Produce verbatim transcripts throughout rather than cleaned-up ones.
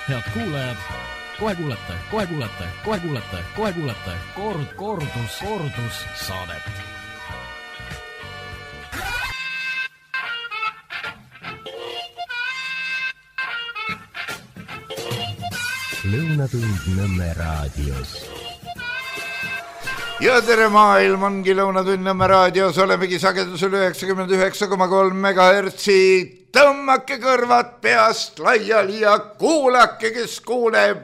Head kuulajad, kohe kuulete, kohe kuulete, kohe kuulete, kohe kuulete kord, kordus, kordus saadet. Lõunatund Nõmme raadios. Ja tere maailm ongi Lõunatund Nõmme raadios, olemegi sagedusel üheksakümmend üheksa koma kolm megahertsi. Tõmmake kõrvad peast laiali ja kuulake, kes kuuleb.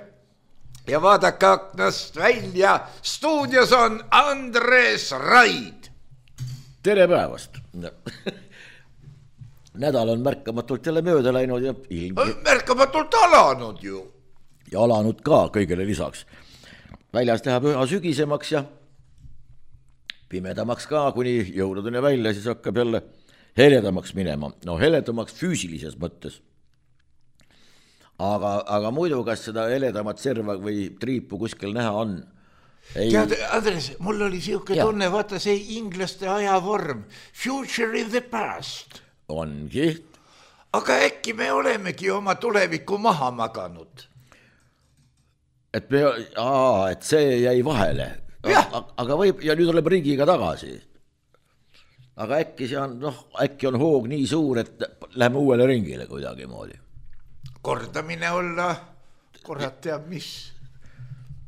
Ja vaadake aknast välja. Stuudios on Andres Raid. Tere päevast. Nädal on märkamatult jälle mööda läinud ja ilm... Märkamatult alanud ju. Ja alanud ka kõigele lisaks. Väljas läheb üha sügisemaks ja pimedamaks ka, kuni jõuludeni välja, siis hakkab jälle heledamaks minema. No heledamaks füüsilises mõttes. Aga, aga muidu, kas seda heledamat serva või triipu kuskil näha on? Ei... Tead, Andres, mul oli siuke ja. tunne, vaata see inglaste ajavorm. Future in the past. Ongi. Aga äkki me olemegi oma tulevikku maha maganud? Et, me, aa, et see jäi vahele. Aga võib, ja nüüd oleme riigiga tagasi. Aga äkki see on, noh, äkki on hoog nii suur, et läheme uuele ringile kuidagi moodi. Kordamine olla, korrat teab mis.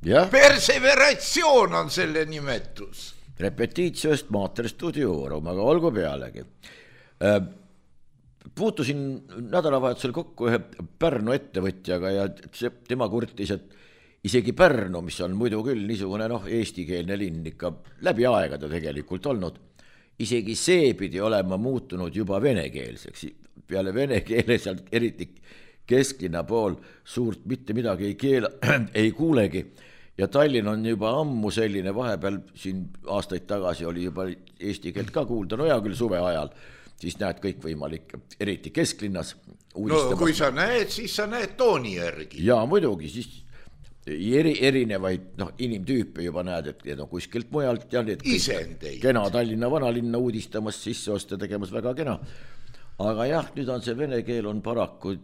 Ja? Perseveratsioon on selle nimetus. Repetiitsiost mater studiorum, aga olgu pealegi. Puutusin nädalavahetusel kokku ühe Pärnu ettevõtjaga ja tema kurtis, et isegi Pärnu, mis on muidu küll niisugune noh, eestikeelne linn ikka läbi aegade tegelikult olnud, isegi see pidi olema muutunud juba venekeelseks. Peale vene keele sealt eriti kesklinna pool suurt mitte midagi ei, keela, ei kuulegi. Ja Tallinn on juba ammu selline, vahepeal siin aastaid tagasi oli juba eesti keelt ka kuulda, no ja küll suve ajal, siis näed kõik võimalik, eriti kesklinnas. No kui sa näed, siis sa näed tooni järgi. Ja muidugi, siis eri, erinevaid no, inimtüüpe juba näed, et need on kuskilt mujalt ja need Isendeid. Kena Tallinna vanalinna uudistamas sisseoste tegemas väga kena. Aga jah, nüüd on see vene keel on paraku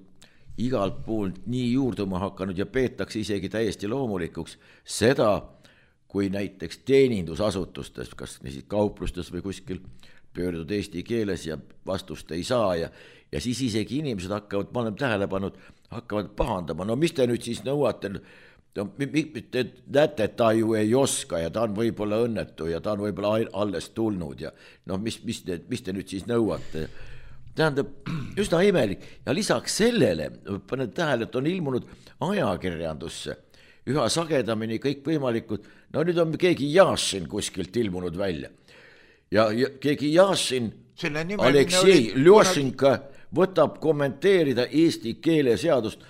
igalt poolt nii juurduma hakanud ja peetakse isegi täiesti loomulikuks seda, kui näiteks teenindusasutustes, kas kauplustes või kuskil pöördud eesti keeles ja vastust ei saa ja, ja siis isegi inimesed hakkavad, ma olen tähele pannud, hakkavad pahandama. No mis te nüüd siis nõuate? No, te näete, et ta ju ei oska ja ta on võib-olla õnnetu ja ta on võib-olla alles tulnud ja no mis, mis, te, mis te nüüd siis nõuate? Tähendab, üsna imelik ja lisaks sellele panen tähele, et on ilmunud ajakirjandusse üha sagedamini kõik võimalikud, no nüüd on keegi Jašin kuskilt ilmunud välja ja, ja keegi Jašin Aleksei Ljošinka võtab kommenteerida eesti keeleseadust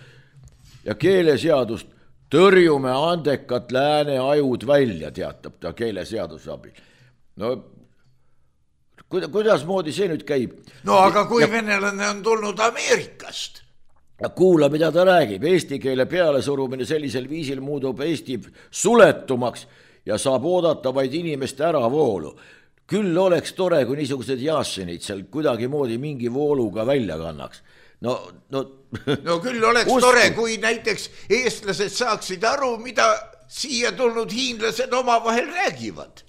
ja keeleseadust tõrjume andekat lääne ajud välja, teatab ta keeleseaduse abil. No kuidas moodi see nüüd käib? No aga kui ja, venelane on tulnud Ameerikast? Kuula, mida ta räägib. Eesti keele pealesurumine sellisel viisil muudub Eesti suletumaks ja saab oodata vaid inimeste äravoolu. Küll oleks tore, kui niisugused Jašinid seal kuidagi moodi mingi vooluga välja kannaks. No, no, no küll oleks usku. Tore, kui näiteks eestlased saaksid aru, mida siia tulnud hiinlased oma vahel räägivad.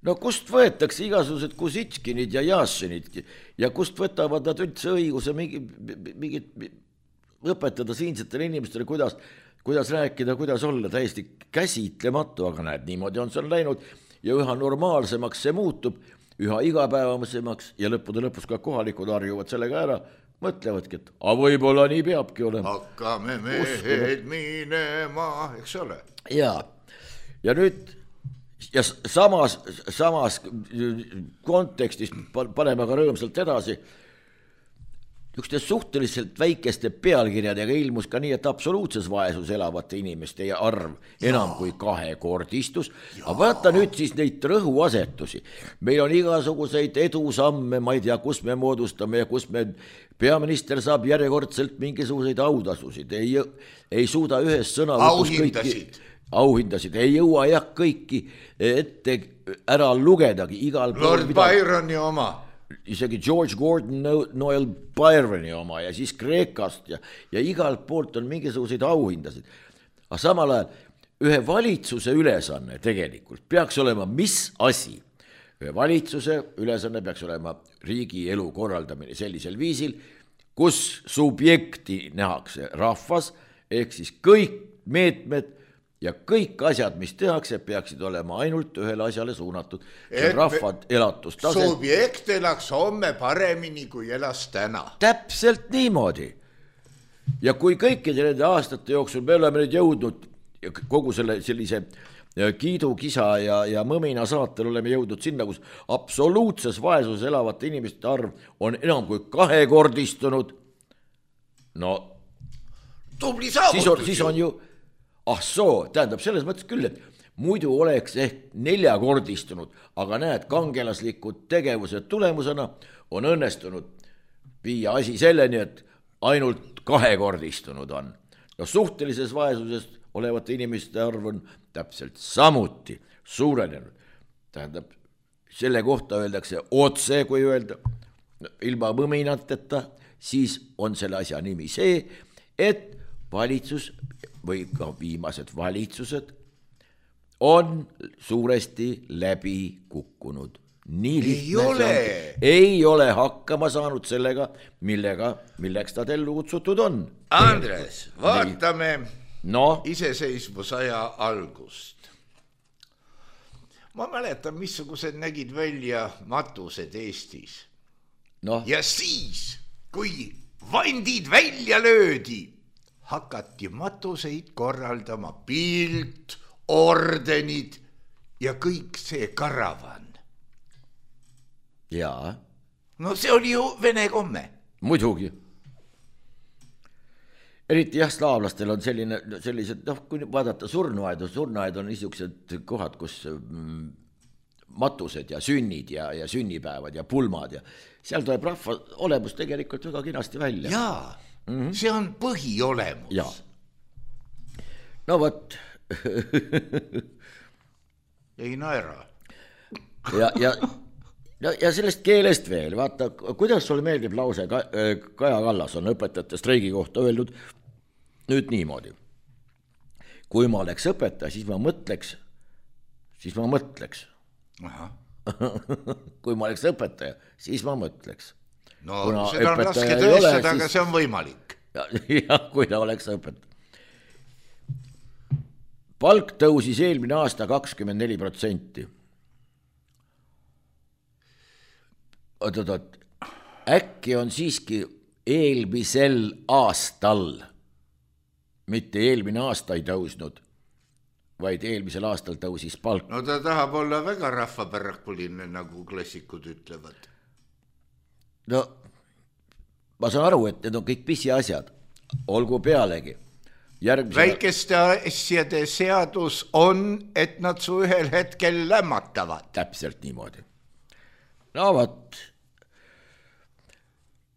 No kust võetakse igasugused Kusitškinid ja Jašinid ja kust võtavad nad üldse õiguse mingit mingi, õpetada siinsetele inimestele, kuidas, kuidas rääkida, kuidas olla täiesti käsitlematu, aga näed, niimoodi on see on läinud ja üha normaalsemaks see muutub, üha igapäevasemaks ja lõppude lõpus ka kohalikud harjuvad sellega ära, mõtlevadki, et a võib-olla nii peabki olema. Hakkame mehed minema, eks ole. Ja, ja nüüd ja samas, samas kontekstis paneme ka rõõmsalt edasi. Ükste suhteliselt väikeste pealkirjadega ilmus ka nii, et absoluutses vaesus elavate inimeste arv enam ja. Kui kahekordistus. Aga vaata nüüd siis neid rõhuasetusi. Meil on igasuguseid edusamme, ma ei tea, kus me moodustame ja kus me peaminister saab järjekordselt mingisuguseid autasusid. Ei, ei suuda ühes sõnavõtus kõiki auhindasid, ei jõua jah kõiki ette ära lugedagi igal Lord pool, mida... Byroni oma. isegi George Gordon Noel Byroni oma ja siis Kreekast ja, ja igalt poolt on mingisuguseid auhindasid. Aga samal ajal ühe valitsuse ülesanne tegelikult peaks olema mis asi? Ühe valitsuse ülesanne peaks olema riigi elu korraldamine sellisel viisil, kus subjekti nähakse rahvas, ehk siis kõik meetmed ja kõik asjad, mis tehakse, peaksid olema ainult ühele asjale suunatud. See rahvad elatustase. Subjekt elaks homme paremini, kui elas täna. Täpselt niimoodi. Ja kui kõikide nende aastate jooksul me oleme nüüd jõudnud kogu selle sellise kiidukisa ja, ja mõmina saatel oleme jõudnud sinna, kus absoluutses vaesuses elavate inimeste arv on enam kui kahekordistunud. No, tubli saavutus. Siis on, siis on ju ah soo, tähendab selles mõttes küll, et muidu oleks ehk neljakordistunud, aga näed, kangelaslikud tegevused tulemusena on õnnestunud viia asi selleni, et ainult kahekordistunud on. No suhtelises vaesuses olevate inimeste arv on täpselt samuti suurenenud. Tähendab, selle kohta öeldakse otse, kui öelda, ilma mõminateta, siis on selle asja nimi see, et valitsus või ka viimased valitsused on suuresti läbi kukkunud. Nii ei ole. Ei ole hakkama saanud sellega, millega, milleks ta ellu kutsutud on. Andres, vaatame no. iseseisvusaja algust. Ma mäletan, missugused nägid välja matused Eestis. No. Ja siis, kui vandid välja löödi, hakati matuseid korraldama, pilt, ordenid ja kõik see karavan. Jaa. No see oli ju vene komme. Muidugi. Eriti jah, slaavlastel on selline, sellised, noh, kui vaadata surnuaedu, surnuaed on niisugused kohad, kus mm, matused ja sünnid ja, ja sünnipäevad ja pulmad ja seal tuleb rahva olemus tegelikult väga kinasti välja. Jaa. Mm-hmm. See on põhiolemus. Ja. No võt. ei naera. ja, ja, ja sellest keelest veel, vaata, kuidas sulle meeldib lause, Kaja Kallas on õpetajate streigi kohta öeldud nüüd niimoodi. Kui ma oleks õpetaja, siis ma mõtleks, siis ma mõtleks. Aha. kui ma oleks õpetaja, siis ma mõtleks. No kuna seda on raske tõestada, aga see on võimalik. Ja, ja kui ta oleks õpetaja. Palk tõusis eelmine aasta kakskümmend neli protsenti. Oot, oot, oot. Äkki on siiski eelmisel aastal, mitte eelmine aasta ei tõusnud, vaid eelmisel aastal tõusis palk. No ta tahab olla väga rahvapärakuline, nagu klassikud ütlevad. No, ma saan aru, et need on kõik pisi asjad. Olgu pealegi. Järgmisel... Väikeste asjade seadus on, et nad su ühel hetkel lämmatavad. Täpselt niimoodi. No võt.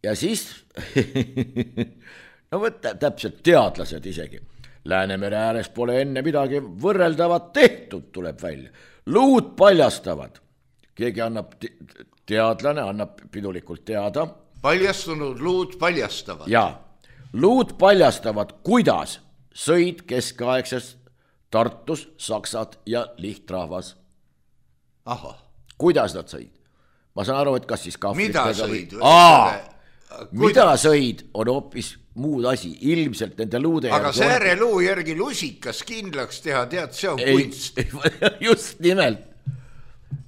Ja siis, no võt, täpselt teadlased isegi. Läänemere ääres pole enne midagi võrreldavat tehtud, tuleb välja. Luud paljastavad. Keegi annab, teadlane annab pidulikult teada. Paljastunud luud paljastavad. Ja, luud paljastavad, kuidas sõid keskaegses Tartus saksad ja lihtrahvas. Aha. Kuidas nad sõid? Ma saan aru, et kas siis kahvlitega... Mida sõid? Aa, mida sõid on hoopis muud asi, ilmselt nende luude... Aga sääre luu järgi lusikas kindlaks teha, tead, see on ei, kunst. Just nimelt.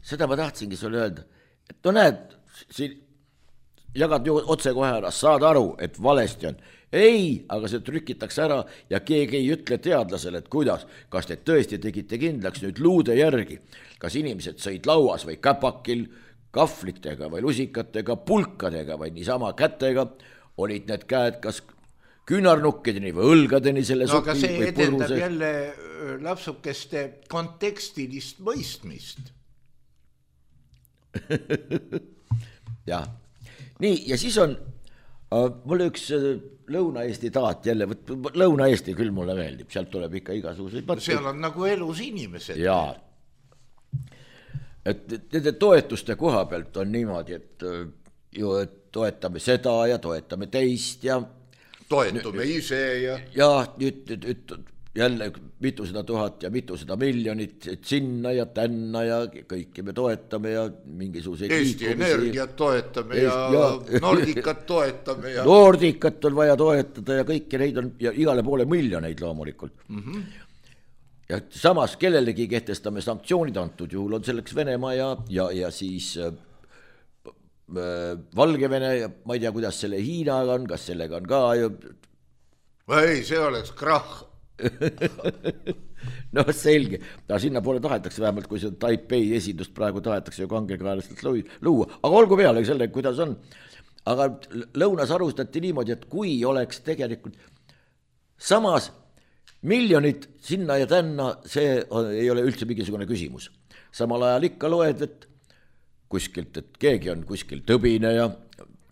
Seda ma tahtsingi sulle öelda, et no näed, siin jagad ju otse kohe ära, saad aru, et valesti on. Ei, aga see trükitakse ära ja keegi ei ütle teadlasele, et kuidas, kas te tõesti tegite kindlaks nüüd luude järgi, kas inimesed sõid lauas või käpakil, kahvlitega või lusikatega, pulkadega või niisama kätega, olid need käed kas küünarnukkideni või õlgadeni selle no, soki või purruse. No aga see edendab jälle lapsukeste kontekstilist mõistmist. ja. Nii, ja siis on uh, mul üks uh, Lõuna-Eesti taat jälle, Lõuna-Eesti küll mulle meeldib, sealt tuleb ikka igasuguseid mõtteid. Seal on nagu elus inimesed. Jaa. et nende toetuste koha pealt on niimoodi, et ju et toetame seda ja toetame teist ja toetume ise ja ja nüüd, nüüd, nüüd jälle mitusada tuhat ja mitusada miljonit, et sinna ja tänna ja kõiki me toetame ja mingisuguseid Eesti liikumisi. Energiat toetame ja, ja Nordicat toetame ja Nordicat on vaja toetada ja kõiki neid on ja igale poole miljoneid loomulikult. Mm-hmm. Ja samas kellelegi kehtestame sanktsioonid, antud juhul on selleks Venemaa ja, ja, ja siis äh, Valgevene ja ma ei tea, kuidas selle Hiinaga on, kas sellega on ka ju... ei, see oleks krahh. No selge, ta sinna poole tahetakse vähemalt, kui see Taipei esindust praegu tahetakse ju kangekaelastelt luua, aga olgu peale selle, kuidas on. Aga lõunas arvustati niimoodi, et kui oleks tegelikult samas miljonid sinna ja tänna, see ei ole üldse mingisugune küsimus. Samal ajal ikka loed, et kuskilt, et keegi on kuskil tõbine ja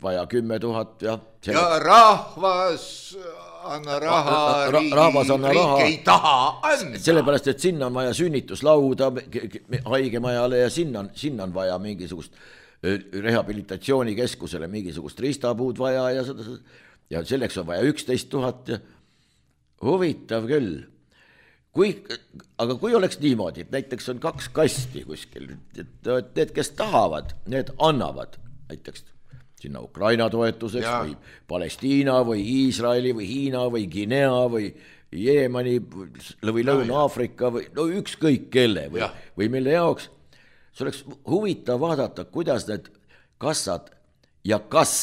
vaja kümme tuhat ja selle... ja rahvas anna raha, ra rahvas anna riik raha, ei taha anda. Sellepärast, et sinna on vaja sünnituslauda haigemajale ja sinna on, sinna on vaja mingisugust rehabilitatsioonikeskusele mingisugust ristapuud vaja ja, seda, ja selleks on vaja üksteist tuhat ja huvitav küll. Kui, aga kui oleks niimoodi, et näiteks on kaks kasti kuskil, et need, kes tahavad, need annavad näiteks sinna Ukraina toetuseks ja. Või Palestiina või Iisraeli või Hiina või Guinea või Jeemani või Lõuna-Aafrika või no ükskõik kelle või, või mille jaoks. See oleks huvitav vaadata, kuidas need kassad ja kas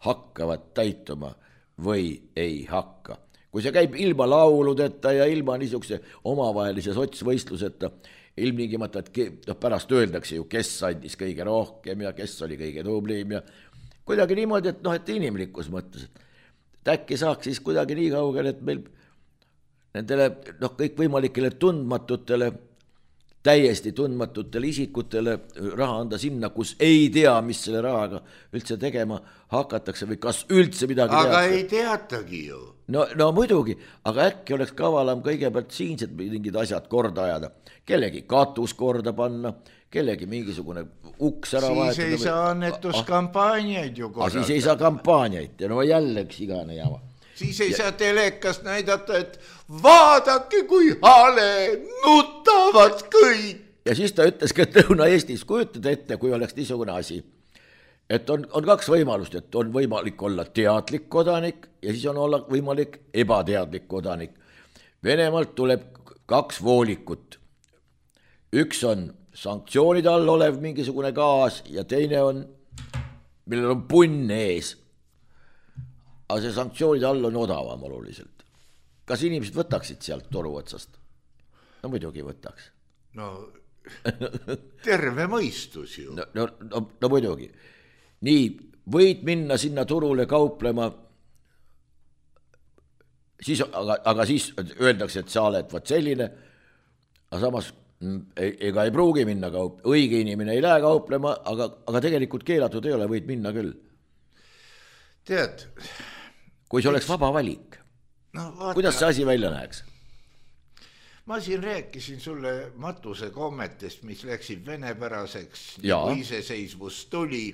hakkavad täituma või ei hakka. Kui see käib ilma lauludeta ja ilma niisuguse omavahelise sotsvõistluseta, ilmtingimata, et no, pärast öeldakse ju, kes andis kõige rohkem ja kes oli kõige tublim ja kuidagi niimoodi, et noh, et inimlikus mõttes, et äkki saaks siis kuidagi nii kaugel, et meil nendele noh, kõik võimalikele tundmatutele, täiesti tundmatutele isikutele raha anda sinna, kus ei tea, mis selle rahaga üldse tegema hakatakse või kas üldse midagi aga teatakse. Ei teatagi ju. No, no muidugi, aga äkki oleks kavalam kõigepealt siinsed mingid asjad korda ajada, kellegi katus korda panna, kellegi mingisugune uks ära vahetada. Siis ei saa annetuskampaaniaid ju korrata. Siis ei saa kampaaniaid ja no jälle üks igane jama. Siis ei ja... saa telekast näidata, et vaadake kui hale, nutavad kõik. Ja siis ta ütles ka, et Lõuna-Eestis kujutad ette, kui oleks niisugune asi, et on, on kaks võimalust, et on võimalik olla teadlik kodanik ja siis on olla võimalik ebateadlik kodanik. Venemaalt tuleb kaks voolikut. Üks on sanktsioonide all olev mingisugune gaas ja teine on, millel on punn ees. Aga see sanktsioonide all on odavam oluliselt. Kas inimesed võtaksid sealt toru otsast? No muidugi võtaks. No terve mõistus ju. No, no, no, no muidugi. Nii, võid minna sinna turule kauplema, siis, aga, aga siis öeldakse, et sa oled võt selline, aga samas ega ei pruugi minna kaup, õige inimene ei lähe kauplema, aga, aga tegelikult keelatud ei ole, võid minna küll. Tead, kui see oleks vaba valik, no, vaata, kuidas see asi välja näeks? Ma siin rääkisin sulle matuse kommetest, mis läksid venepäraseks, nagu iseseisvus tuli,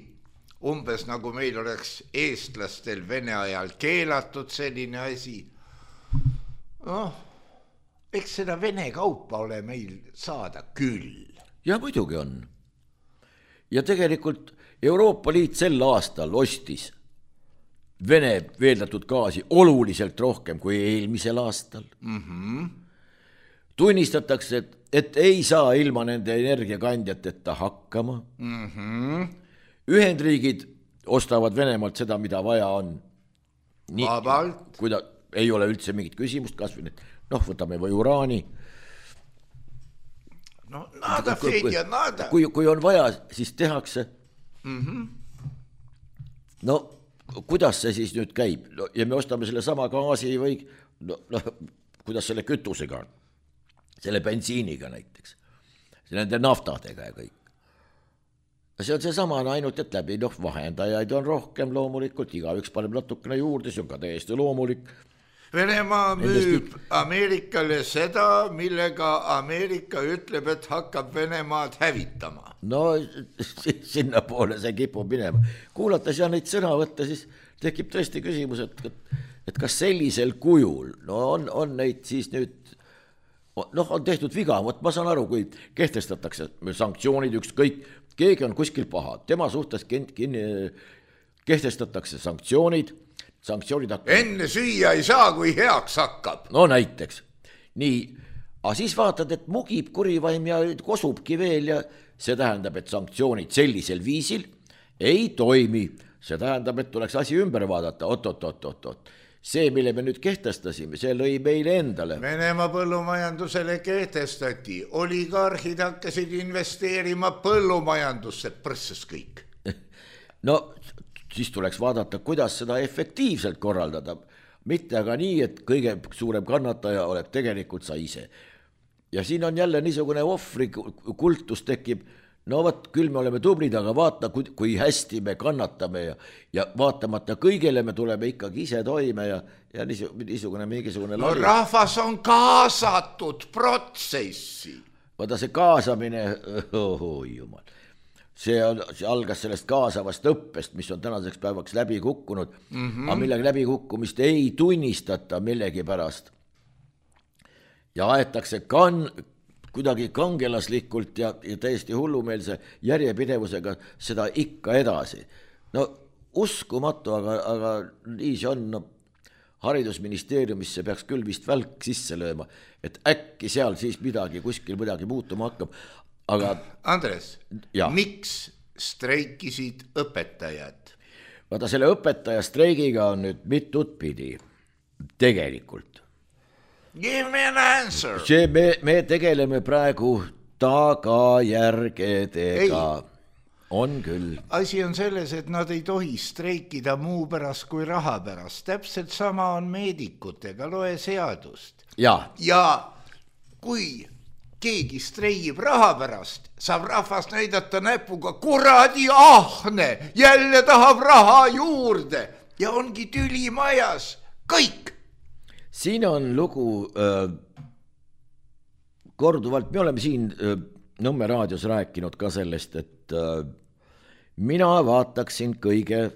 umbes nagu meil oleks eestlastel Vene ajal keelatud selline asi. Noh, eks seda Vene kaupa ole meil saada küll. Ja muidugi on. Ja tegelikult Euroopa Liit sel aastal ostis Vene veeldatud gaasi oluliselt rohkem kui eelmisel aastal. Mm-hmm. Tunnistatakse, et, et ei saa ilma nende energiakandjateta hakkama. Mm-hmm. Ühendriigid ostavad Venemaalt seda, mida vaja on. Nii, vabalt. Kui ta ei ole üldse mingit küsimust, kas või need, noh, võtame või uraani. No, nada, Fedja, nada. Kui, kui on vaja, siis tehakse. Mm-hmm. No, kuidas see siis nüüd käib? No, ja me ostame selle sama gaasi või, no, no, kuidas selle kütusega on? Selle bensiiniga näiteks. Nende naftadega ja kõik. See on see sama ainult, et läbi noh, vahendajaid on rohkem loomulikult, iga üks paneb natukene juurde, see on ka täiesti loomulik. Venemaa müüb Ameerikale seda, millega Ameerika ütleb, et hakkab Venemaad hävitama. no sinna poole see kipub minema. Kuulates ja neid sõna võtta, siis tekib tõesti küsimus, et, et kas sellisel kujul, no on, on neid siis nüüd, noh, on tehtud viga, vot ma saan aru, kui kehtestatakse sanktsioonid, ükskõik, keegi on kuskil paha, tema suhtes kin, kin, kehtestatakse sanktsioonid, sanktsioonid hakkab... Enne süüa ei saa, kui heaks hakkab. No näiteks, nii, aga siis vaatad, et mugib kurivaim ja kosubki veel ja see tähendab, et sanktsioonid sellisel viisil ei toimi. See tähendab, et tuleks asi ümber vaadata, oot, oot, oot, oot, oot. See, mille me nüüd kehtestasime, see lõi meile endale. Venemaa põllumajandusele kehtestati, oligarhid hakkasid investeerima põllumajandusse, prõsses kõik. No siis tuleks vaadata, kuidas seda efektiivselt korraldada. Mitte aga nii, et kõige suurem kannataja oleks tegelikult sa ise. Ja siin on jälle niisugune ohvri kultus tekib, no võt, küll me oleme tublid, aga vaata, kui, kui hästi me kannatame ja, ja vaatamata kõigele me tuleme ikkagi ise toime ja, ja niisugune mingisugune no, rahvas on kaasatud protsessi. Vaata see kaasamine, oh, jumal. See, on, see algas sellest kaasavast õppest, mis on tänaseks päevaks läbi kukkunud, mm-hmm. aga millegi läbi kukkumist ei tunnistata millegi pärast. Ja aetakse kan, kuidagi kangelaslikult ja, ja täiesti hullumeelse järjepidevusega seda ikka edasi. No uskumatu, aga, aga nii see on, no, haridusministeeriumisse peaks küll vist välk sisse lööma, et äkki seal siis midagi, kuskil midagi muutuma hakkab. Aga, Andres, ja. Miks streikisid õpetajad? Vaata, selle õpetaja streigiga on nüüd mitut pidi. Tegelikult. Give me an answer. See me, me tegeleme praegu tagajärgedega. On küll. Asi on selles, et nad ei tohi streikida muu pärast kui raha pärast. Täpselt sama on meedikutega, loe seadust. Ja, ja kui keegi streigib raha pärast, saab rahvast näidata näpuga, kuradi ahne, jälle tahab raha juurde ja ongi tüli majas, kõik. Siin on lugu äh, korduvalt, me oleme siin äh, Nõmme raadios rääkinud ka sellest, et äh, mina vaataksin kõige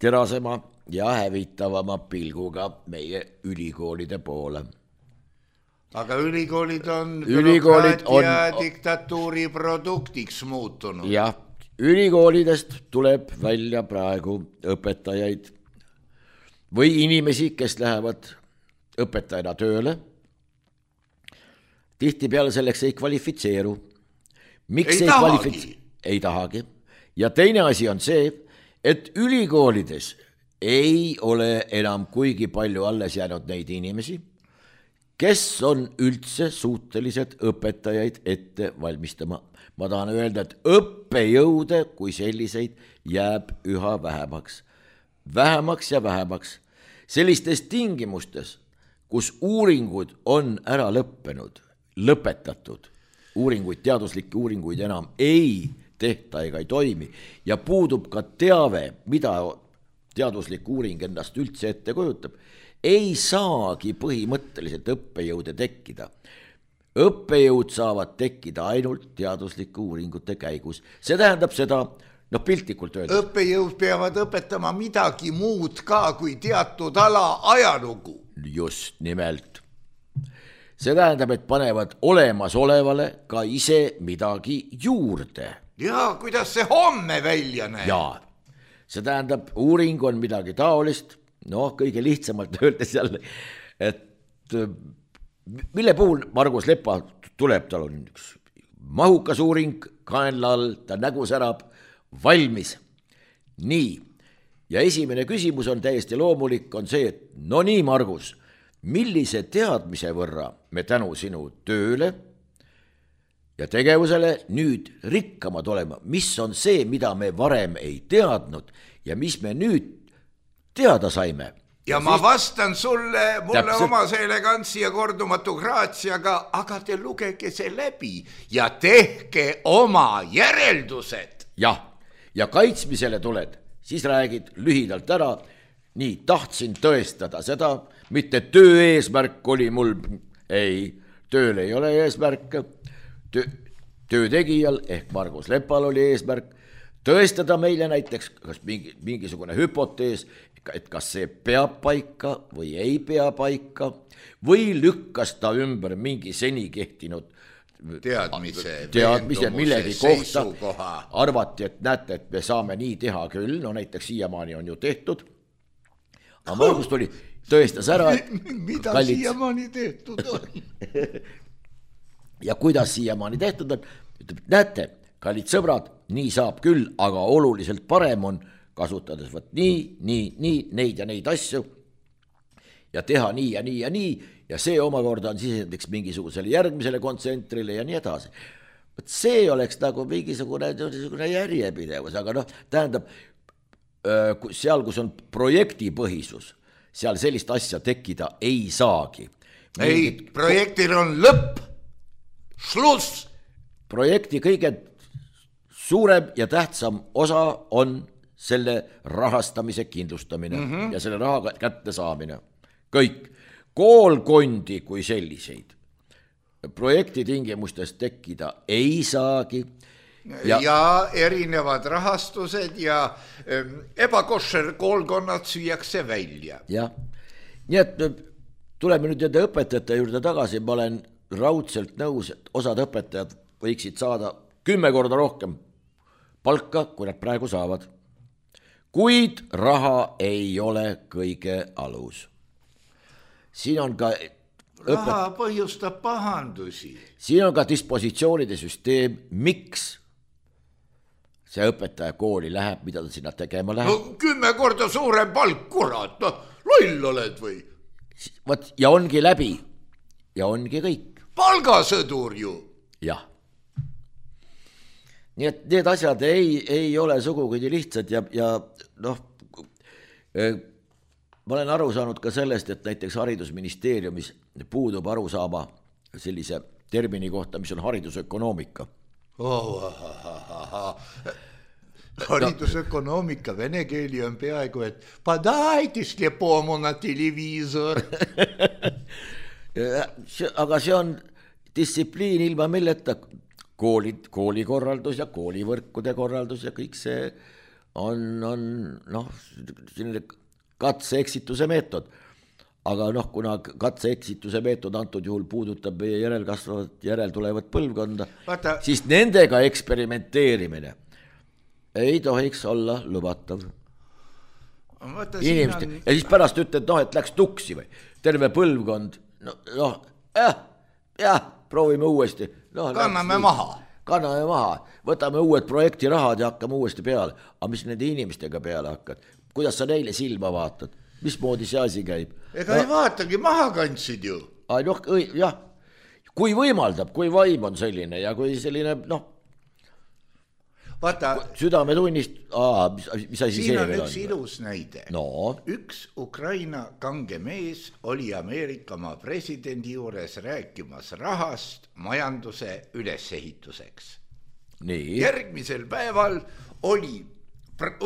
terasema ja hävitavama pilguga meie ülikoolide poole. Aga ülikoolid on ülikoolid bürokraatia on... diktatuuri produktiks muutunud. Jah, ülikoolidest tuleb välja praegu õpetajaid või inimesi, kes lähevad õpetajana tööle. Tihtipeale selleks ei kvalifitseeru. Miks ei, ei tahagi. Kvalifitse... Ei tahagi. Ja teine asi on see, et ülikoolides ei ole enam kuigi palju alles jäänud neid inimesi, kes on üldse suutelised õpetajaid ette valmistama. Ma tahan öelda, et õppejõude kui selliseid jääb üha vähemaks. Vähemaks ja vähemaks. Sellistes tingimustes, kus uuringud on ära lõppenud, lõpetatud, uuringuid, teaduslikke uuringuid enam ei tehta ega ei toimi ja puudub ka teave, mida teaduslik uuring ennast üldse ette kujutab, ei saagi põhimõtteliselt õppejõude tekkida. Õppejõud saavad tekkida ainult teaduslike uuringute käigus. See tähendab seda, no piltlikult öeldes. Õppejõud peavad õpetama midagi muud ka kui teatud ala ajalugu. Just nimelt. See tähendab, et panevad olemasolevale ka ise midagi juurde. Ja kuidas see homme välja näeb? Ja, see tähendab, uuring on midagi taolist, noh, kõige lihtsamalt öeldes jälle, et mille puhul Margus Lepa tuleb, tal on üks mahukas uuring, kaenla all, ta nägu särab, valmis. Nii, ja esimene küsimus on täiesti loomulik, on see, et no nii, Margus, millise teadmise võrra me tänu sinu tööle ja tegevusele nüüd rikkamad olema, mis on see, mida me varem ei teadnud ja mis me nüüd teada saime. Ja, ja ma siis... vastan sulle, mulle täpselt... oma see elegantsi ja kordumatu graatsiaga, aga te lugege see läbi ja tehke oma järeldused. Jah, ja kaitsmisele tuled, siis räägid lühidalt ära, nii tahtsin tõestada seda, mitte töö eesmärk oli mul, ei, tööl ei ole eesmärk, töö, töötegijal ehk Margus Lepal oli eesmärk tõestada meile näiteks kas mingi, mingisugune hüpotees, et kas see peab paika või ei pea paika või lükkas ta ümber mingi seni kehtinud teadmise, teadmise millegi kohta, arvati, et näete, et me saame nii teha küll, no näiteks siiamaani on ju tehtud, aga Margus tuli, tõestas ära, et mida kallid... siiamaani tehtud on ja kuidas siiamaani tehtud on, ütleb, näete, kallid sõbrad, nii saab küll, aga oluliselt parem on kasutades võt nii, nii, nii, neid ja neid asju ja teha nii ja nii ja nii ja see omakorda on sisendiks mingisugusele järgmisele kontsentrile ja nii edasi. Võt see oleks nagu mingisugune, mingisugune järjepidevus, aga noh, tähendab, seal, kus on projektipõhisus, seal sellist asja tekkida ei saagi. Ei, projektil on lõpp, šluss. Projekti kõige suurem ja tähtsam osa on selle rahastamise kindlustamine mm -hmm. ja selle raha kätte saamine. Kõik. Koolkondi kui selliseid projekti tingimustes tekkida ei saagi. Ja, ja erinevad rahastused ja ebakošer koolkonnad süüakse välja. Jah, nii et tuleme nüüd nende õpetajate juurde tagasi, ma olen raudselt nõus, et osad õpetajad võiksid saada kümme korda rohkem palka, kui nad praegu saavad. Kuid raha ei ole kõige alus. Siin on ka õpet... raha põhjustab pahandusi. Siin on ka dispositsioonide süsteem, miks see õpetaja kooli läheb, mida ta sinna tegema läheb. No kümme korda suurem palk, kurat, no loll oled või? Võt, ja ongi läbi ja ongi kõik. Palgasõdur ju. Jah. Nii et need asjad ei, ei ole sugugi lihtsad ja, ja noh, ma olen aru saanud ka sellest, et näiteks haridusministeeriumis puudub aru saama sellise termini kohta, mis on haridusökonoomika. Oh, haridusökonoomika vene keeli on peaaegu, et padajte slepomu na televiisor. Aga see on distsipliin ilma milleta koolid, koolikorraldus ja koolivõrkude korraldus ja kõik see on, on noh, selline katse-eksituse meetod, aga noh, kuna katse-eksituse meetod antud juhul puudutab meie järelkasvavat, järeltulevat põlvkonda, Vaata... siis nendega eksperimenteerimine ei tohiks olla lubatav. Inimeste... On... ja siis pärast ütled, noh, et läks tuksi või terve põlvkond, no, noh, jah, jah, proovime uuesti. No, kanname läks, maha. Kanname maha, võtame uued projektirahad ja hakkame uuesti peale, aga mis nende inimestega peale hakkad? Kuidas sa neile silma vaatad? Mismoodi see asi käib? Ega no, ei vaatagi, maha kandsid ju. Ai, noh, jah, kui võimaldab, kui vaim on selline ja kui selline, noh, vaata, südame tunnist, aa, mis, mis asi siin see on veel üks on? ilus näide. No. Üks Ukraina kange mees oli Ameerika maa presidendi juures rääkimas rahast majanduse ülesehituseks. Nii. Järgmisel päeval oli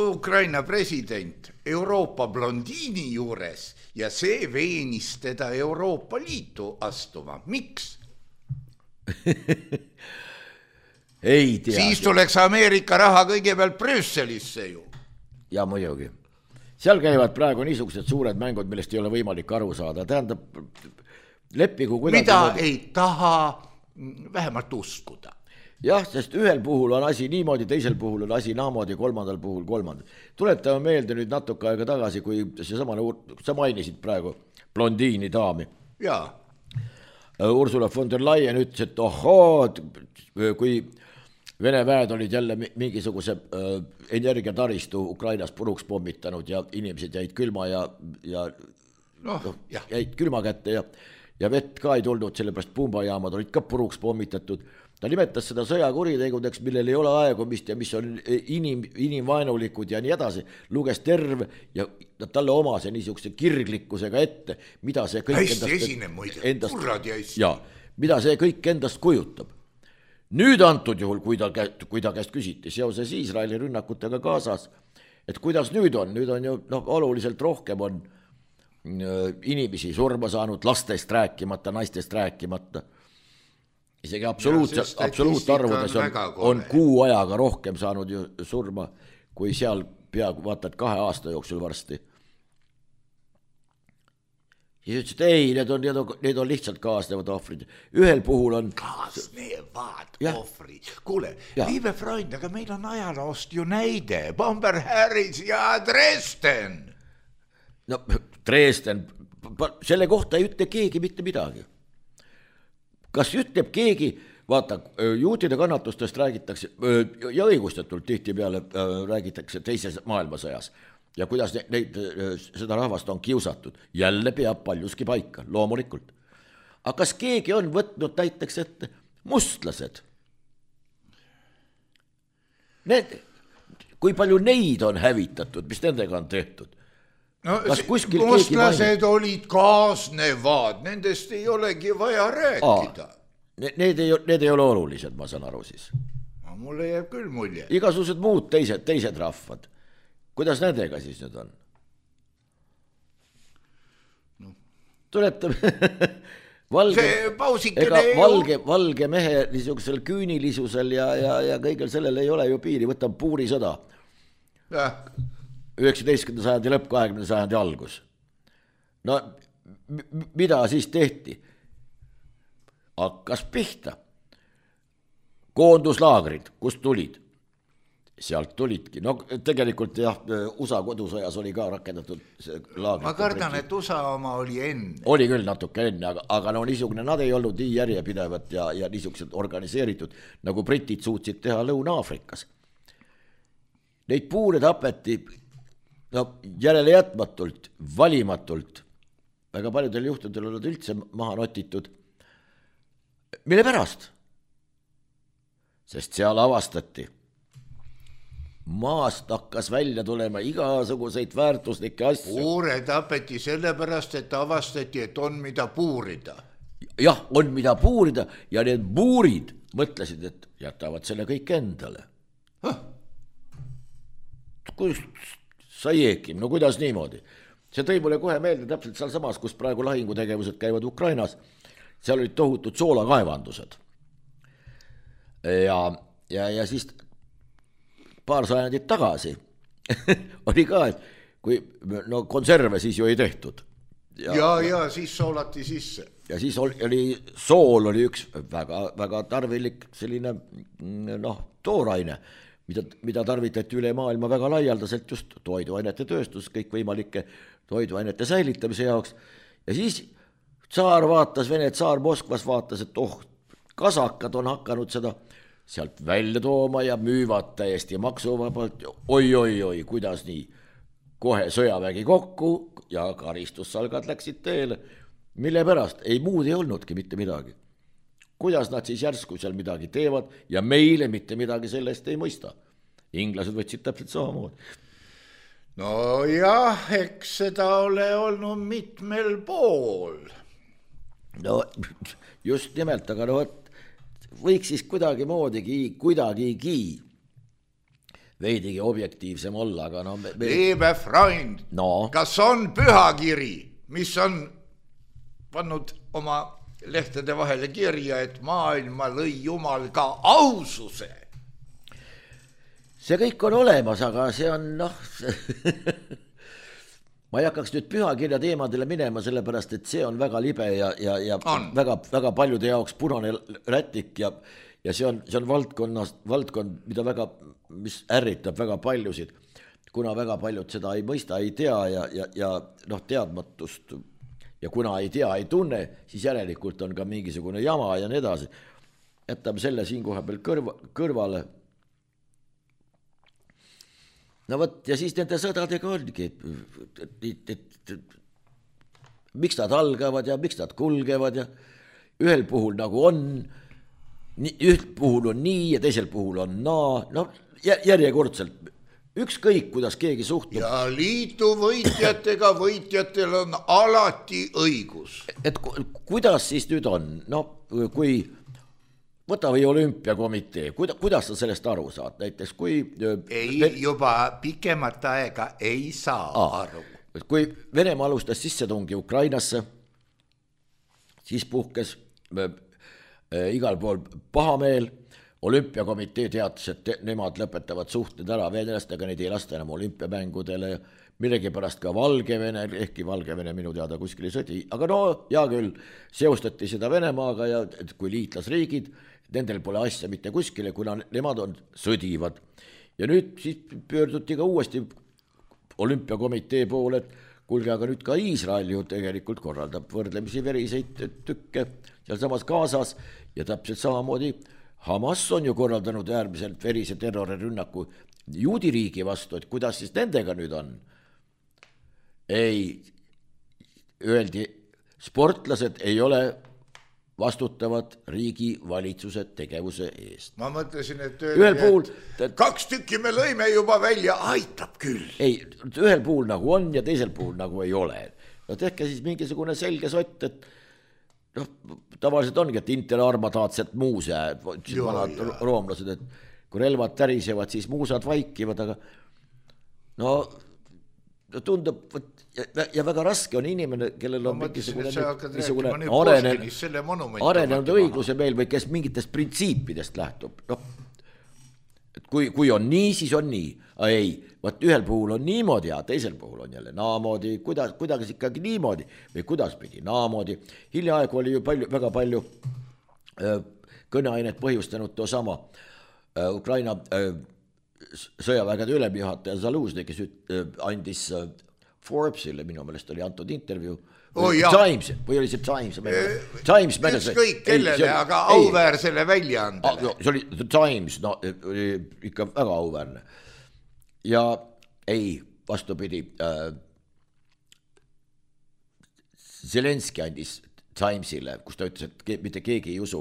Ukraina president Euroopa blondiini juures ja see veenis teda Euroopa Liitu astuma. Miks? Ei tea. Siis tuleks Ameerika raha kõigepealt Brüsselisse ju. Ja muidugi. Seal käivad praegu niisugused suured mängud, millest ei ole võimalik aru saada. Tähendab, leppigu kuidagi... Mida ei taha vähemalt uskuda. Jah, sest ühel puhul on asi niimoodi, teisel puhul on asi naamoodi, kolmandal puhul kolmandal. Tuletame meelde nüüd natuke aega tagasi, kui see samane, sa mainisid praegu blondiini daami. Jaa. Ursula von der Leyen ütles, et ohoo, kui Vene väed olid jälle mingisuguse energiataristu Ukrainas puruks pommitanud ja inimesed jäid külma ja, ja no, no, jäid külma kätte ja, ja vett ka ei tulnud, sellepärast pumbajaamad olid ka puruks pommitatud. Ta nimetas seda sõjakuritegudeks, millel ei ole aegumist ja mis on inim, inimvaenulikud ja nii edasi. Luges terve ja talle omase niisuguse kirglikkusega ette, mida see kõik hästi endast, esine, muide, endast, ja, mida see kõik endast kujutab. Nüüd antud juhul, kui ta, kui ta käest küsiti seoses Iisraeli rünnakutega Gazas, et kuidas nüüd on, nüüd on ju no, oluliselt rohkem on inimesi surma saanud, lastest rääkimata, naistest rääkimata. isegi absoluutselt, absoluutarvudes on, on kuu ajaga rohkem saanud ju surma, kui seal peaaegu vaatad kahe aasta jooksul varsti. Ja ütles, et ei, need on, need on, need on lihtsalt kaasnevad ohvrid. Ühel puhul on... Kaasnevad ohvrid. Kuule, Liive Freund, aga meil on ajaloost ju näide. Bomber Harris ja Dresden. No, Dresden, selle kohta ei ütle keegi mitte midagi. Kas ütleb keegi, vaata, juutide kannatustest räägitakse, ja õigustatult tihti peale räägitakse teises maailmasõjas. Ja kuidas neid, neid, seda rahvast on kiusatud, jälle peab paljuski paika, loomulikult. Aga kas keegi on võtnud näiteks ette mustlased? Need, kui palju neid on hävitatud, mis nendega on tehtud? No, mustlased olid kaasnevad, nendest ei olegi vaja rääkida. Aa, need, ei, need ei ole olulised, ma saan aru siis. No, mulle jääb küll mulje. Igasugused muud teised, teised rahvad. Kuidas nendega siis nüüd on? No. Tuletame valge, ega valge, valge mehe niisugusel küünilisusel ja, ja, ja kõigel sellel ei ole ju piiri, võtab puurisõda. üheksateistkümnenda sajandi lõpp, kahekümnenda sajandi algus. No mida siis tehti? Hakkas pihta. Koonduslaagrid, kust tulid? Sealt tulidki. No tegelikult jah, U S A kodusõjas oli ka rakendatud laagrid. Ma kardan, et U S A oma oli enne. Oli küll natuke enne, aga, aga no niisugune, nad ei olnud nii järjepidevat ja, ja niisugused organiseeritud, nagu britid suutsid teha Lõuna-Aafrikas. Neid puure tapeti no, järele jätmatult, valimatult. Väga paljudel juhtudel olid üldse maha notitud. Mille pärast? Sest seal avastati. Maast hakkas välja tulema igasuguseid väärtuslikke asju. Puure tapeti sellepärast, et avastati, et on mida puurida. Jah, on mida puurida ja need puurid mõtlesid, et jätavad selle kõik endale. Huh? Kus sa jeekim, no kuidas niimoodi? See tõi mulle kohe meelde täpselt seal samas, kus praegu lahingutegevused käivad Ukrainas. Seal olid tohutud soolakaevandused. Ja, ja, ja siis... paar sajandit tagasi oli ka, et kui no konserve siis ju ei tehtud. Ja, ja, ja siis soolati sisse. Ja siis oli, sool oli üks väga, väga tarvilik selline noh, tooraine, mida, mida tarvitati üle maailma väga laialdaselt just toiduainete tööstus, kõik võimalike toiduainete säilitamise jaoks. Ja siis tsaar vaatas, Vene tsaar Moskvas vaatas, et oh, kasakad on hakanud seda sealt välja tooma ja müüvad täiesti maksuvabalt. Oi, oi, oi, kuidas nii? Kohe sõjavägi kokku ja karistussalgad läksid teele. Mille pärast? Ei muud ei olnudki mitte midagi. Kuidas nad siis järsku seal midagi teevad ja meile mitte midagi sellest ei mõista? Inglased võtsid täpselt samamoodi. No jah, eks seda ole olnud mitmel pool. No just nimelt, aga no võiks siis kuidagi moodigi, kuidagigi veidigi objektiivsem olla, aga no... Me... Liive Freund, no. Kas on pühakiri, mis on pannud oma lehtede vahele kirja, et maailma lõi Jumal ka aususe? See kõik on olemas, aga see on noh... Ma ei hakkaks nüüd pühakirja teemadele minema, sellepärast, et see on väga libe ja, ja, ja väga, väga paljude jaoks punane rätik ja, ja see on, see on valdkonnas, valdkond, mida väga, mis ärritab väga paljusid, kuna väga paljud seda ei mõista, ei tea ja, ja, ja noh, teadmatust ja kuna ei tea, ei tunne, siis järelikult on ka mingisugune jama ja nii edasi. Jätame selle siin koha peal kõrva, kõrvale. No võt, ja siis nende sõdadega ongi, et, et, et, et, miks nad algavad ja miks nad kulgevad ja ühel puhul nagu on, ühel puhul on nii ja teisel puhul on naa, no järjekordselt, ükskõik kuidas keegi suhtub. Ja liitu võitjatega võitjatel on alati õigus. Et kuidas siis nüüd on, no kui... Võta või olümpiakomitee, kuidas sa sellest aru saad? Näiteks kui... Ei, juba pikemat aega ei saa Aa, aru. Kui Venemaa alustas sissetungi Ukrainasse, siis puhkes igal pool pahameel, olümpiakomitee teatas, et nemad lõpetavad suhted ära venelastega, neid ei lasta enam olümpiamängudele, millegipärast ka Valgevene, ehkki Valgevene minu teada kuskil ei sõdi, aga no hea küll, seostati seda Venemaaga ja kui liitlasriigid, nendel pole asja mitte kuskile, kuna nemad on sõdivad. Ja nüüd siis pöörduti ka uuesti olümpiakomitee poole, et kuulge, aga nüüd ka Iisrael ju tegelikult korraldab võrdlemisi veriseid tükke seal samas Gazas ja täpselt samamoodi Hamas on ju korraldanud äärmiselt verise terrorirünnaku juudi riigi vastu, et kuidas siis nendega nüüd on? Ei, öeldi, sportlased ei ole vastutavad riigi valitsuse tegevuse eest. Ma mõtlesin, et ühel puhul, et kaks tükki me lõime juba välja, aitab küll. Ei, ühel puhul nagu on ja teisel puhul nagu ei ole. No tehke siis mingisugune selge sott, et noh, tavaliselt ongi, et inter armataatset muuse, vanad roomlased, et kui relvad tärisevad, siis muusad vaikivad, aga no tundub, ja, ja väga raske on inimene, kellel on mingisugune, mingisugune arenenud, arenenud õigluse meil või kes mingitest printsiipidest lähtub. No, et kui, kui on nii, siis on nii. A ei, vaat ühel puhul on niimoodi ja teisel puhul on jälle naamoodi, kuidas, kuidas ikkagi niimoodi või kuidas pidi naamoodi. Hiljaaegu oli ju palju, väga palju äh, kõneainet põhjustanud too sama äh, Ukraina äh, sõjavägede ülemjuhataja Zaluzny, kes äh, andis äh, Forbesile, minu meelest oli antud intervjuu, oh, Times, või oli see Times? Times ükskõik kellele, aga auväärsele väljaandele. See oli The Times, no oli ikka väga auväärne. Ja ei, vastupidi, äh, Zelenski andis Timesile, kus ta ütles, et ke, mitte keegi ei usu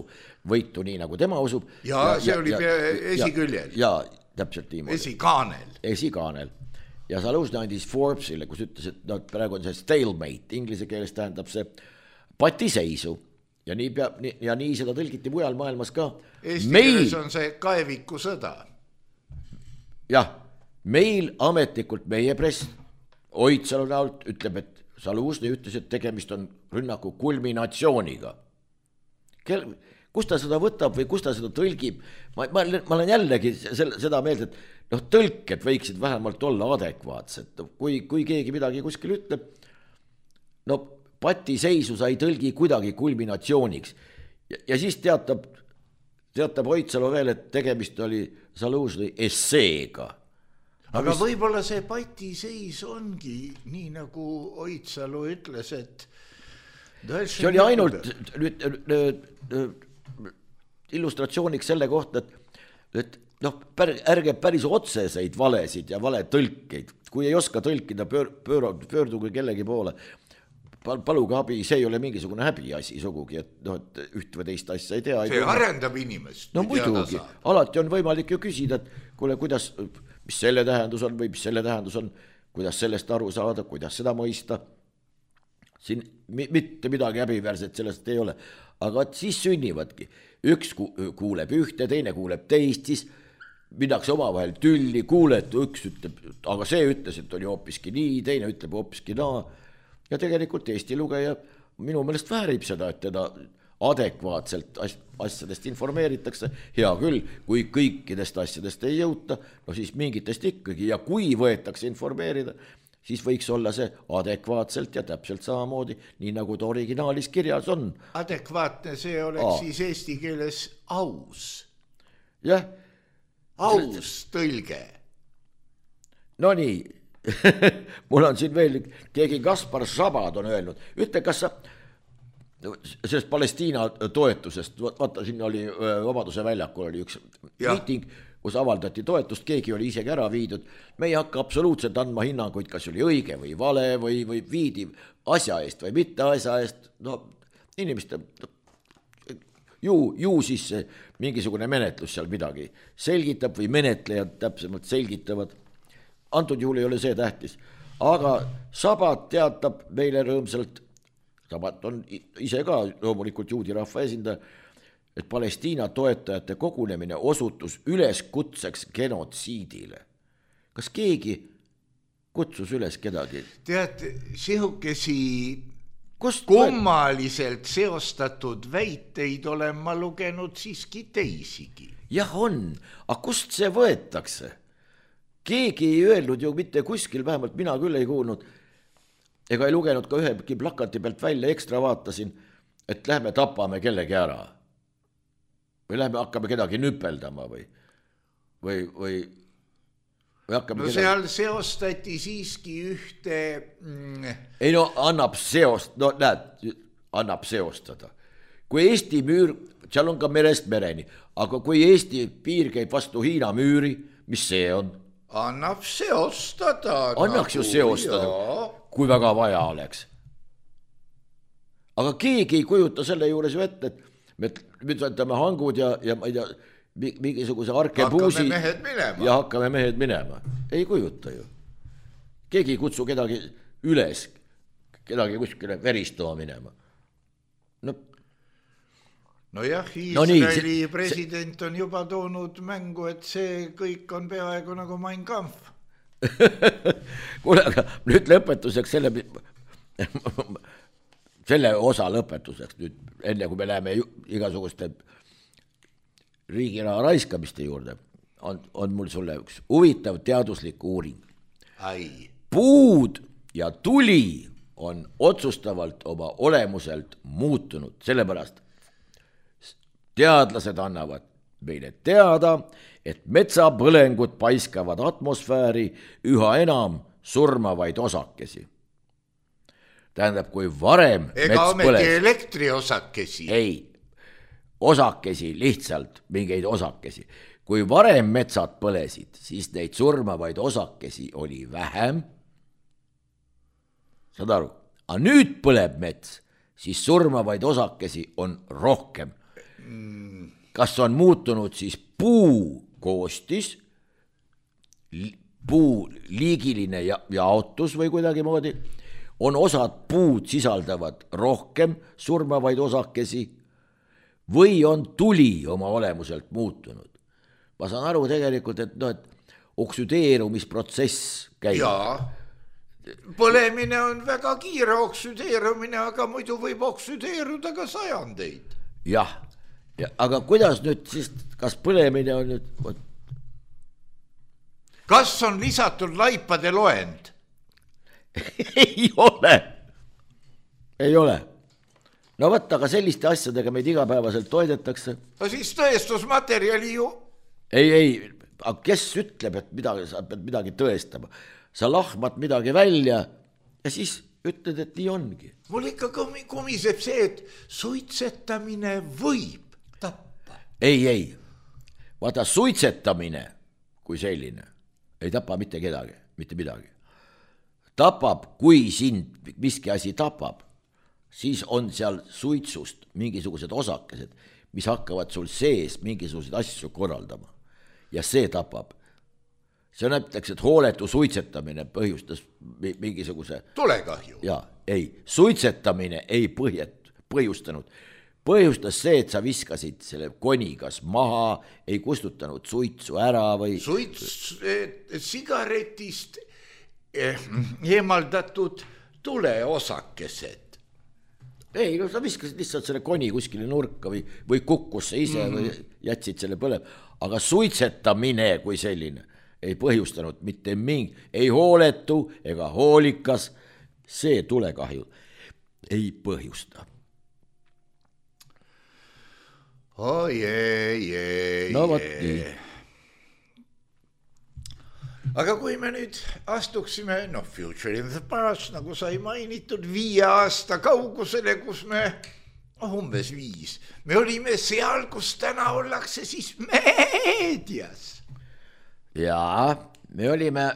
võitu nii, nagu tema usub. Ja, ja see ja, oli ja, esiküljel. Ja, ja täpselt niimoodi. Esikaanel. Esikaanel. Ja Zaluzny andis Forbesile, kus ütles, et no, praegu on see stalemate, inglise keeles tähendab see patiseisu. Ja nii, peab, nii, ja nii seda tõlgiti mujal maailmas ka. Eesti meil... keeles on see kaeviku sõda. Jah. Meil ametlikult meie press Oitsalu näolt ütleb, et Zaluzny ütles, et tegemist on rünnaku kulminatsiooniga. Kel, kus ta seda võtab või kus ta seda tõlgib? Ma, ma, ma olen jällegi selle, seda meeld, et noh, tõlked võiksid vähemalt olla adekvaatsed. Kui, kui keegi midagi kuskil ütleb, no patiseisu sa ei tõlgi kuidagi kulminatsiooniks. Ja, ja siis teatab, teatab Oitsalu veel, et tegemist oli Zaluzny esseega. Aga mis... võib-olla see patiseis ongi nii, nagu Oitsalu ütles, et see oli ainult nüüd, illustratsiooniks selle kohta, et, et noh, pär, ärge päris otseseid valesid ja valetõlkeid, kui ei oska tõlkida, pöör, pöör, pöörduge kellegi poole, paluge abi, see ei ole mingisugune häbiasi sugugi, et, no, et üht või teist asja ei tea. See ei arendab inimest. No muidugi, alati on võimalik ju küsida, et kuule, kuidas... mis selle tähendus on või mis selle tähendus on, kuidas sellest aru saada, kuidas seda mõista. Siin mitte midagi häbiväärset sellest ei ole, aga siis sünnivadki. Üks kuuleb ühte, teine kuuleb teist, siis minnakse oma vahel tülli, kuuled, üks ütleb, aga see ütles, et oli hoopiski nii, teine ütleb hoopiski naa. Ja tegelikult Eesti lugeja minu meelest väärib seda, et teda adekvaatselt asjadest informeeritakse, hea küll, kui kõikidest asjadest ei jõuta, no siis mingitest ikkagi, ja kui võetakse informeerida, siis võiks olla see adekvaatselt ja täpselt samamoodi, nii nagu ta originaalis kirjas on. Adekvaatne see oleks Aa. siis eesti keeles aus. Jah. Aus tõlge. No nii, mul on siin veel, keegi Kaspar Sabad on öelnud, ütle, kas sa sellest Palestiina toetusest, vaata, siin oli Vabaduse väljakul oli üks ja. Miiting, kus avaldati toetust, keegi oli isegi ära viidud. Me ei hakka absoluutselt andma hinnanguid, kas oli õige või vale või, või viidi asja eest või mitte asja eest. No inimeste, ju, ju siis mingisugune menetlus seal midagi selgitab või menetlejad täpsemalt selgitavad. Antud juhul ei ole see tähtis. Aga Sabat teatab meile rõõmsalt, Sabat on ise ka loomulikult juudi rahva esindaja, et Palestiina toetajate kogunemine osutus üleskutseks genotsiidile. Kas keegi kutsus üles kedagi? Tead, sihukesi Kust kummaliselt seostatud väiteid olen ma lugenud siiski teisigi. Jah on, aga kust see võetakse? Keegi ei öelnud ju mitte kuskil, vähemalt mina küll ei kuulnud, ega ei lugenud ka ühegi plakati pealt välja, ekstra vaatasin, et lähme tapame kellegi ära. Või lähme hakkame kedagi nüpeldama või, või, või, või hakkame no kedagi... seal seostati siiski ühte... Mm... Ei no annab seost, no näed, annab seostada. Kui Eesti müür, seal on ka merest mereni, aga kui Eesti piir käib vastu Hiina müüri, mis see on? Annab seostada. Annaks nagu, ju seostada, jaa. Kui väga vaja oleks. Aga keegi ei kujuta selle juures ju ette, et me võtame hangud ja, ja ma ei tea, mingisuguse arkepuusi ja hakkame mehed minema. Ei kujuta ju. Keegi ei kutsu kedagi üles, kedagi kuskile veristama minema. No, no jah, Iisraeli no nii, see, president on juba toonud mängu, et see kõik on peaaegu nagu Mein Kampf. Kuule, aga nüüd lõpetuseks selle, selle osa lõpetuseks nüüd, enne kui me läheme igasuguste riigiraha raiskamiste juurde, on, on mul sulle üks huvitav teaduslik uuring. Ai. Puud ja tuli on otsustavalt oma olemuselt muutunud, sellepärast teadlased annavad meile teada, et metsapõlengud paiskavad atmosfääri üha enam surmavaid osakesi. Tähendab, kui varem ega mets ometi põles... elektriosakesi. Ei, osakesi, lihtsalt mingeid osakesi. Kui varem metsad põlesid, siis neid surmavaid osakesi oli vähem. Saad aru? Aga nüüd põleb mets, siis surmavaid osakesi on rohkem. Kas on muutunud siis puu koostis, puu liigiline ja, jaotus või kuidagi moodi, on osad puud sisaldavad rohkem surmavaid osakesi või on tuli oma olemuselt muutunud. Ma saan aru tegelikult, et, no, et oksüdeerumisprotsess käib. Jaa, põlemine on väga kiire oksüdeerumine, aga muidu võib oksüdeeruda ka sajandeid. Jah. Ja, aga kuidas nüüd siis, kas põlemine on nüüd... Kas on lisatud laipade loend? Ei ole. Ei ole. No võtta, aga selliste asjadega meid igapäevaselt toidetakse. No siis tõestusmaterjali ju... Ei, ei, aga kes ütleb, et midagi, sa pead midagi tõestama? Sa lahmad midagi välja ja siis ütled, et nii ongi. Mul ikka kumiseb see, et suitsetamine võib tappa. Ei, ei. Vaata, suitsetamine kui selline ei tapa mitte kedagi, mitte midagi. Tapab, kui sind miski asi tapab, siis on seal suitsust mingisugused osakesed, mis hakkavad sul sees mingisuguseid asju korraldama. Ja see tapab. See näiteks, et hooletu suitsetamine põhjustas mingisuguse... Tulekahju. Ja, ei, suitsetamine ei põhjet, põhjustanud. Põhjustas see, et sa viskasid selle konigas maha, ei kustutanud suitsu ära või... Suits sigaretist eemaldatud tuleosakesed. Ei, no sa viskasid lihtsalt selle koni kuskile nurka või, või kukkus see ise mm. või jätsid selle põleb. Aga suitsetamine kui selline ei põhjustanud mitte mingi, ei hooletu ega hoolikas, see tulekahju ei põhjusta. Oh, jee, jee, no, jee. Aga kui me nüüd astuksime, no future in the past, nagu sai mainitud, viie aasta kaugusele, kus me, oh, umbes viis, me olime seal, kus täna ollakse siis meedias. Jaa, me olime,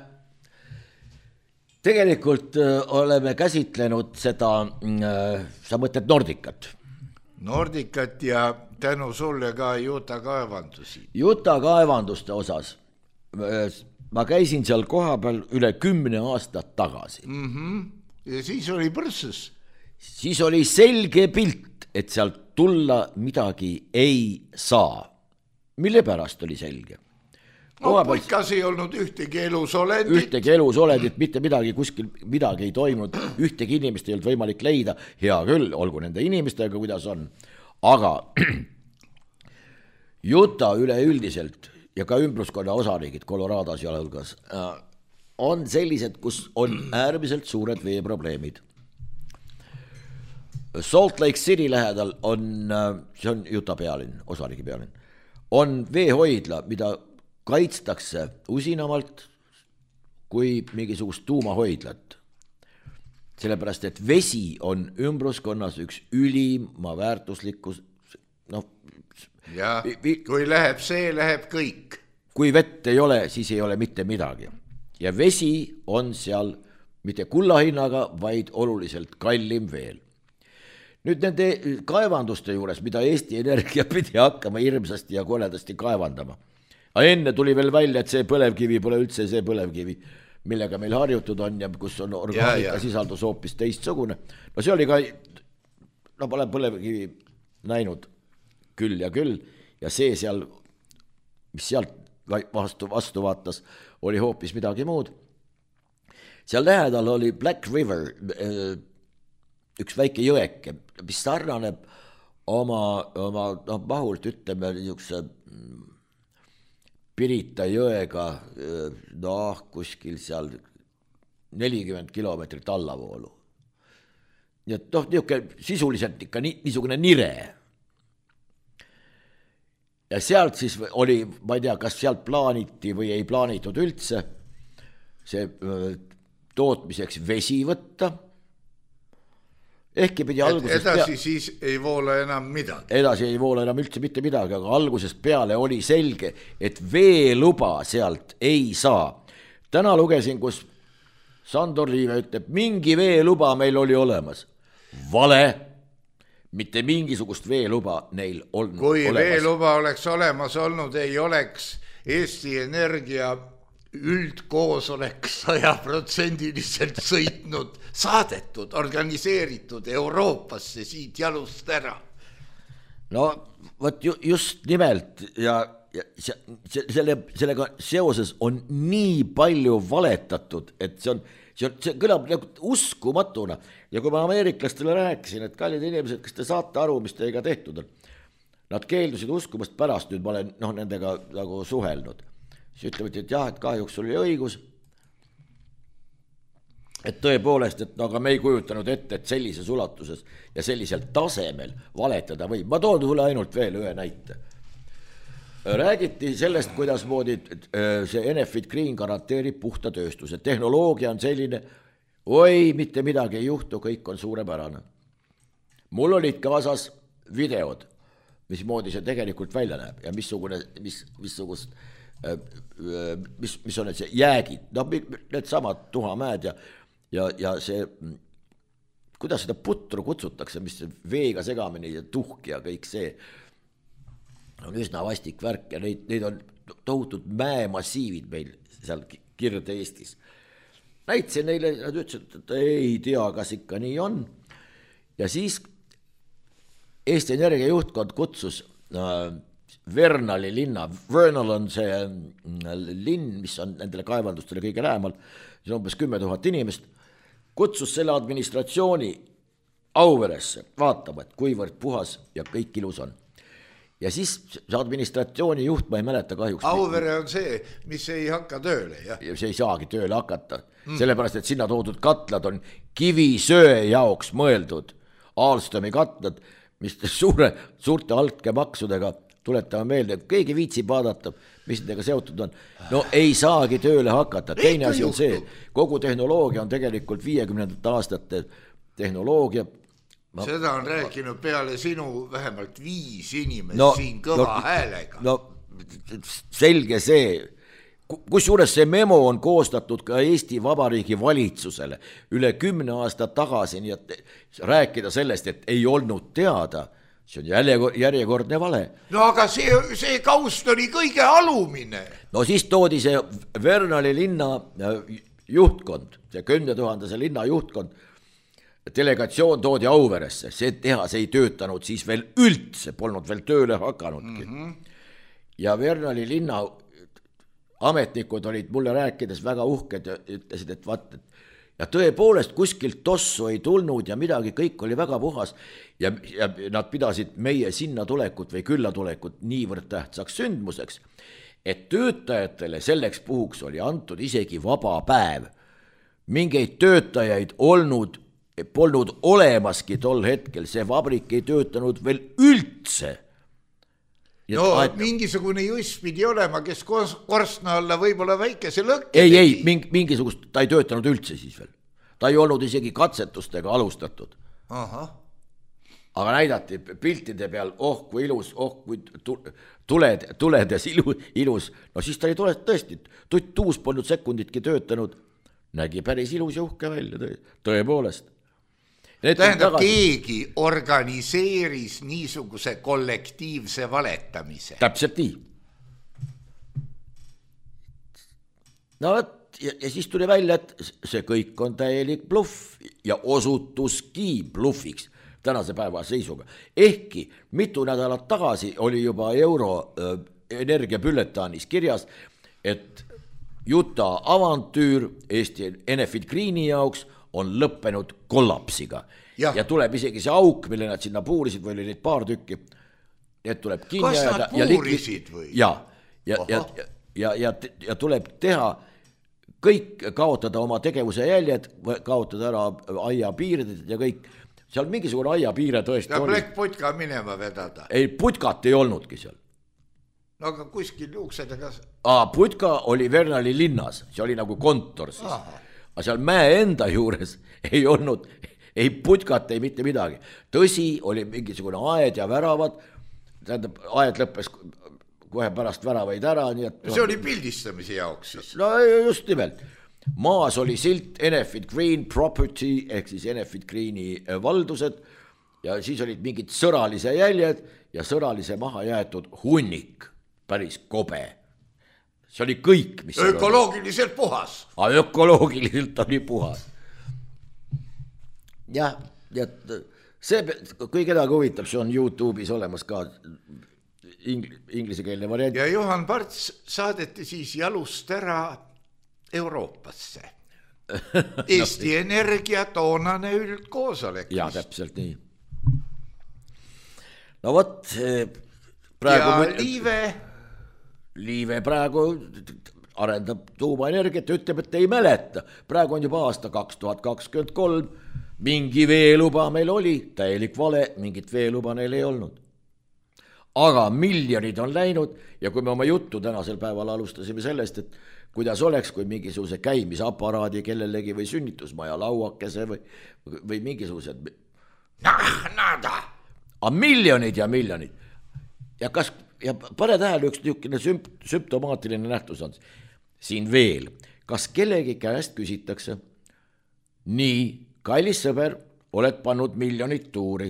tegelikult oleme käsitlenud seda, sa mõtled Nordicat. Nordicat ja tänu sulle ka Juta kaevandusi. Juta kaevanduste osas. Ma käisin seal koha peal üle kümne aastat tagasi. Mm-hmm. Ja siis oli põrsus. Siis oli selge pilt, et sealt tulla midagi ei saa. Mille pärast oli selge? no putkas ei olnud ühtegi elusolendit. Ühtegi elusolendit, mitte midagi, kuskil midagi ei toimunud, ühtegi inimest ei olnud võimalik leida, hea küll, olgu nende inimestega, kuidas on. Aga Utah üleüldiselt ja ka ümbruskonna osariigid, Colorados ja hulgas, on sellised, kus on äärmiselt suured veeprobleemid. Salt Lake City lähedal on, see on Utah pealinn, osariigi pealinn, on veehoidla, mida kaitstakse usinamalt kui mingisugust tuumahoidlat. Sellepärast, et vesi on ümbruskonnas üks ülima väärtuslikkus, noh, ja vi- kui läheb see, läheb kõik. Kui vett ei ole, siis ei ole mitte midagi. Ja vesi on seal mitte kullahinnaga, vaid oluliselt kallim veel. Nüüd nende kaevanduste juures, mida Eesti Energia pidi hakkama hirmsasti ja koledasti kaevandama. Aga enne tuli veel välja, et see põlevkivi pole üldse see põlevkivi, millega meil harjutud on ja kus on orgaanika sisaldus hoopis teistsugune. No see oli ka, no pole põlevkivi näinud küll ja küll ja see seal, mis sealt vastu, vastu vaatas, oli hoopis midagi muud. Seal lähedal oli Black River, üks väike jõeke, mis sarnaneb oma, oma no, mahult, ütleme, niisuguse Pirita jõega, noh, kuskil seal nelikümmend kilomeetrit allavoolu. Nii et noh, niisugune sisuliselt ikka nii, niisugune nire. Ja sealt siis oli, ma ei tea, kas sealt plaaniti või ei plaanitud üldse see tootmiseks vesi võtta. Ehkki pidi algusest edasi pea... siis ei voola enam midagi. Edasi ei voola enam üldse mitte midagi, aga algusest peale oli selge, et veeluba sealt ei saa. Täna lugesin, kus Sandor Liive ütleb, mingi veeluba meil oli olemas. Vale, mitte mingisugust veeluba neil on Kui olemas. veeluba oleks olemas olnud, ei oleks Eesti Energia üldkoosolek sajaprotsendiliselt sõitnud, saadetud, organiseeritud Euroopasse siit jalust ära. No võt ju, just nimelt ja, ja selle, sellega seoses on nii palju valetatud, et see on, see, on, see kõlab nagu uskumatuna. Ja kui ma ameeriklastele rääkisin, et kallid inimesed, kas te saate aru, mis teiega tehtud on? Nad keeldusid uskumast pärast, nüüd ma olen no, nendega nagu suhelnud. Siis ütlevad, et jah, et kahjuks oli õigus, et tõepoolest, et no, aga me ei kujutanud ette, et sellises ulatuses ja sellisel tasemel valetada võib. Ma toon sulle ainult veel ühe näite. Räägiti sellest, kuidas moodi see Enefit Green garanteerib puhta tööstuse. Tehnoloogia on selline, oi, mitte midagi ei juhtu, kõik on suurepärane. Mul olid kaasas videod, mismoodi see tegelikult välja näeb ja missugune, mis, missugust mis, mis on need see jäägid, no need samad tuhamäed ja, ja, ja see, kuidas seda putru kutsutakse, mis veega segamini ja tuhk ja kõik see on üsna vastik värk ja neid, neid on tohutud mäemassiivid meil seal Kirde-Eestis. Näitsin neile, nad ütlesid, et ei tea, kas ikka nii on ja siis Eesti Energia juhtkond kutsus äh, Vernali linna, Vernal on see linn, mis on nendele kaevandustele kõige lähemal, see on umbes kümme tuhat inimest, kutsus selle administratsiooni Auveresse vaatama, et kuivõrd puhas ja kõik ilus on. Ja siis see administratsiooni juht, ma ei mäleta kahjuks. Auvere on see, mis ei hakka tööle. Jah. Ja see ei saagi tööle hakata, mm. sellepärast, et sinna toodud katlad on kivisöe jaoks mõeldud, Alstomi katlad, mis suure, suurte altkäemaksudega tuletame meelde, et keegi viitsib vaadata, mis nendega seotud on. No ei saagi tööle hakata. Teine asi on see, kogu tehnoloogia on tegelikult viiekümnendate aastate tehnoloogia. Ma, Seda on rääkinud peale sinu vähemalt viis inimest no, siin kõva no, häälega. No selge see, kusjuures see memo on koostatud ka Eesti Vabariigi valitsusele üle kümne aasta tagasi, nii et rääkida sellest, et ei olnud teada, see on järjekordne vale. No aga see, see kaust oli kõige alumine. No siis toodi see Vernali linna juhtkond, see kümne tuhandese linna juhtkond, delegatsioon toodi Auveresse, see tehas ei töötanud siis veel üldse, polnud veel tööle hakanudki. Mm-hmm. Ja Vernali linna ametnikud olid mulle rääkides väga uhked ja ütlesid, et vaat, et ja tõepoolest kuskilt tossu ei tulnud ja midagi, kõik oli väga puhas ja, ja nad pidasid meie sinna tulekut või külla tulekut niivõrd tähtsaks sündmuseks, et töötajatele selleks puhuks oli antud isegi vaba päev. Mingeid töötajaid olnud, polnud olemaski tol hetkel, see vabrik ei töötanud veel üldse. No aet... mingisugune juss pidi olema, kes korstna alla võib-olla väikese lõkke ei, ei, ming, mingisugust, ta ei töötanud üldse siis veel. Ta ei olnud isegi katsetustega alustatud. Aha. Aga näidati piltide peal, oh kui ilus, oh kui tuled, tuledes ilus. No siis ta oli tule, tõesti, tuus polnud sekunditki töötanud. Nägi päris ilus ja uhke välja, tõepoolest. Need tähendab, tagasi... keegi organiseeris niisuguse kollektiivse valetamise. Täpselt nii. No ja, ja siis tuli välja, et see kõik on täielik bluff ja osutuski bluffiks tänase päeva seisuga. Ehkki mitu nädalat tagasi oli juba euro äh, energiapülletaanis kirjas, et Juta avantüür Eesti Enefit Greeni jaoks on lõppenud kollapsiga ja. ja tuleb isegi see auk, mille nad sinna puurisid või oli neid paar tükki, need tuleb kinni kas nad ja puurisid või? Ja, ja, ja, ja, ja, ja tuleb teha kõik, kaotada oma tegevuse jäljed, kaotada ära aia piired ja kõik, seal mingisugune aia piire tõesti ja oli. Plekk putka minema vedada. Ei, putkat ei olnudki seal. No aga kuskil juuksedega... Aa, putka oli Vernali linnas, see oli nagu kontor siis. Aha. Aga seal mäe enda juures ei olnud, ei putkat, ei mitte midagi. Tõsi, oli mingisugune aed ja väravad, tähendab, aed lõppes kohe pärast väravaid ära. Nii et, see oli pildistamise jaoks siis? No just nimelt. Maas oli silt Enefit Green Property, ehk siis Enefit Greeni valdused, ja siis olid mingid sõralise jäljed ja sõralise maha jäetud hunnik, päris kobe. See oli kõik, mis ökoloogiliselt puhas. A, ökoloogiliselt oli puhas. Jah, ja see, kui kedagi huvitab, see on YouTube'is olemas ka ingl- inglisekeelne variant. Ja Juhan Parts saadeti siis jalust ära Euroopasse. Eesti no, Energia toonane üldkoosolek. Ja, täpselt nii. No vot, praegu... Ja Liive... Liive praegu arendab tuumaenergiat ja ütleb, et ei mäleta. Praegu on juba aasta kaks tuhat kakskümmend kolm, mingi veeluba meil oli, täielik vale, mingit veeluba neil ei olnud. Aga miljonid on läinud ja kui me oma juttu tänasel päeval alustasime sellest, et kuidas oleks, kui mingisuguse käimisaparaadi kellelegi või sünnitusmaja lauakese või, või mingisugused... Nah, nada! A miljonid ja miljonid. Ja kas... Ja pane tähele üks niisugune sümp- sümptomaatiline nähtus on siin veel. Kas kellegi käest küsitakse, nii, kallis sõber, oled pannud miljonit tuuri.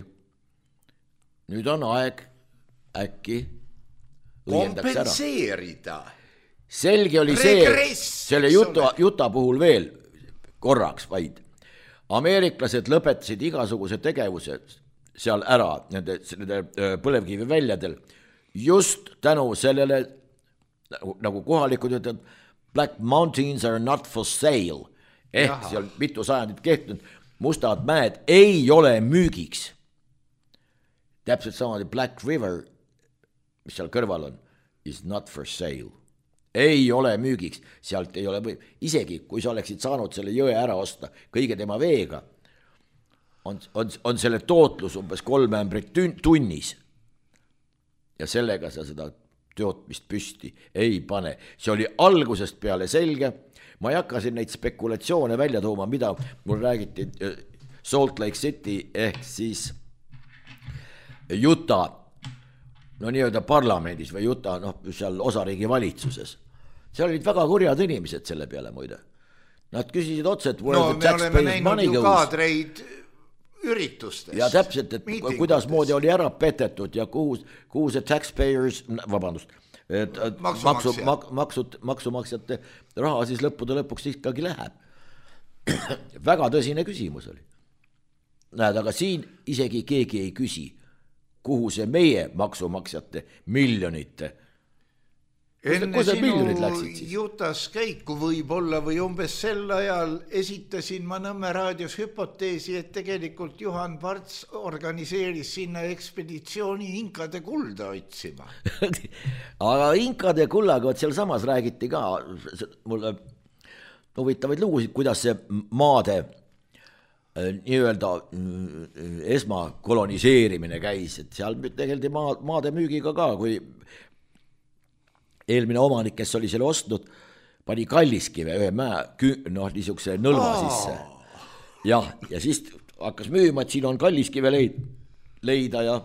Nüüd on aeg äkki kompenseerida. Selge oli Regress, see, selle juta, juta puhul veel korraks vaid. Ameeriklased lõpetasid igasuguse tegevuse seal ära, nende, nende põlevkivi väljadel, just tänu sellele, nagu kohalikud ütlevad, Black Mountains are not for sale. Ehk Jaha. Seal mitu sajandit kehtinud, mustad mäed ei ole müügiks. Täpselt samamoodi Black River, mis seal kõrval on, is not for sale. Ei ole müügiks, sealt ei ole või... Isegi kui sa oleksid saanud selle jõe ära osta kõige tema veega, on, on, on selle tootlus umbes kolm ämbrit tunnis. Ja sellega sa seda tootmist püsti ei pane. See oli algusest peale selge. Ma ei hakka siin neid spekulatsioone välja tooma, mida mul räägiti Salt Lake City ehk siis Utah, no nii-öelda parlamendis või Utah, noh, seal osariigi valitsuses. Seal olid väga kurjad inimesed selle peale muide. Nad küsisid otse, et no me oleme näinud ju kaadreid üritustest. Ja täpselt, et kuidas moodi oli ära petetud ja kuhu, kuhu see taxpayers, vabandust, et maksu, mak, maksud, maksumaksjate raha siis lõppude lõpuks ikkagi läheb. Väga tõsine küsimus oli. Näed, aga siin isegi keegi ei küsi, kuhu see meie maksumaksjate miljonite enne sinu jutas käiku võib-olla või umbes sel ajal esitasin ma Nõmme raadios hüpoteesi, et tegelikult Juhan Parts organiseeris sinna ekspeditsiooni inkade kulda otsima. Aga inkade kullaga, seal samas räägiti ka mulle huvitavaid lugusid, kuidas see maade nii-öelda esmakoloniseerimine käis, et seal tegeldi maa, maade müügiga ka, kui eelmine omanik, kes oli selle ostnud, pani Kalliskive ühe mäe, noh, niisuguse nõlva sisse. Ja, ja siis hakkas müüma, et siin on Kalliskive leid, leida ja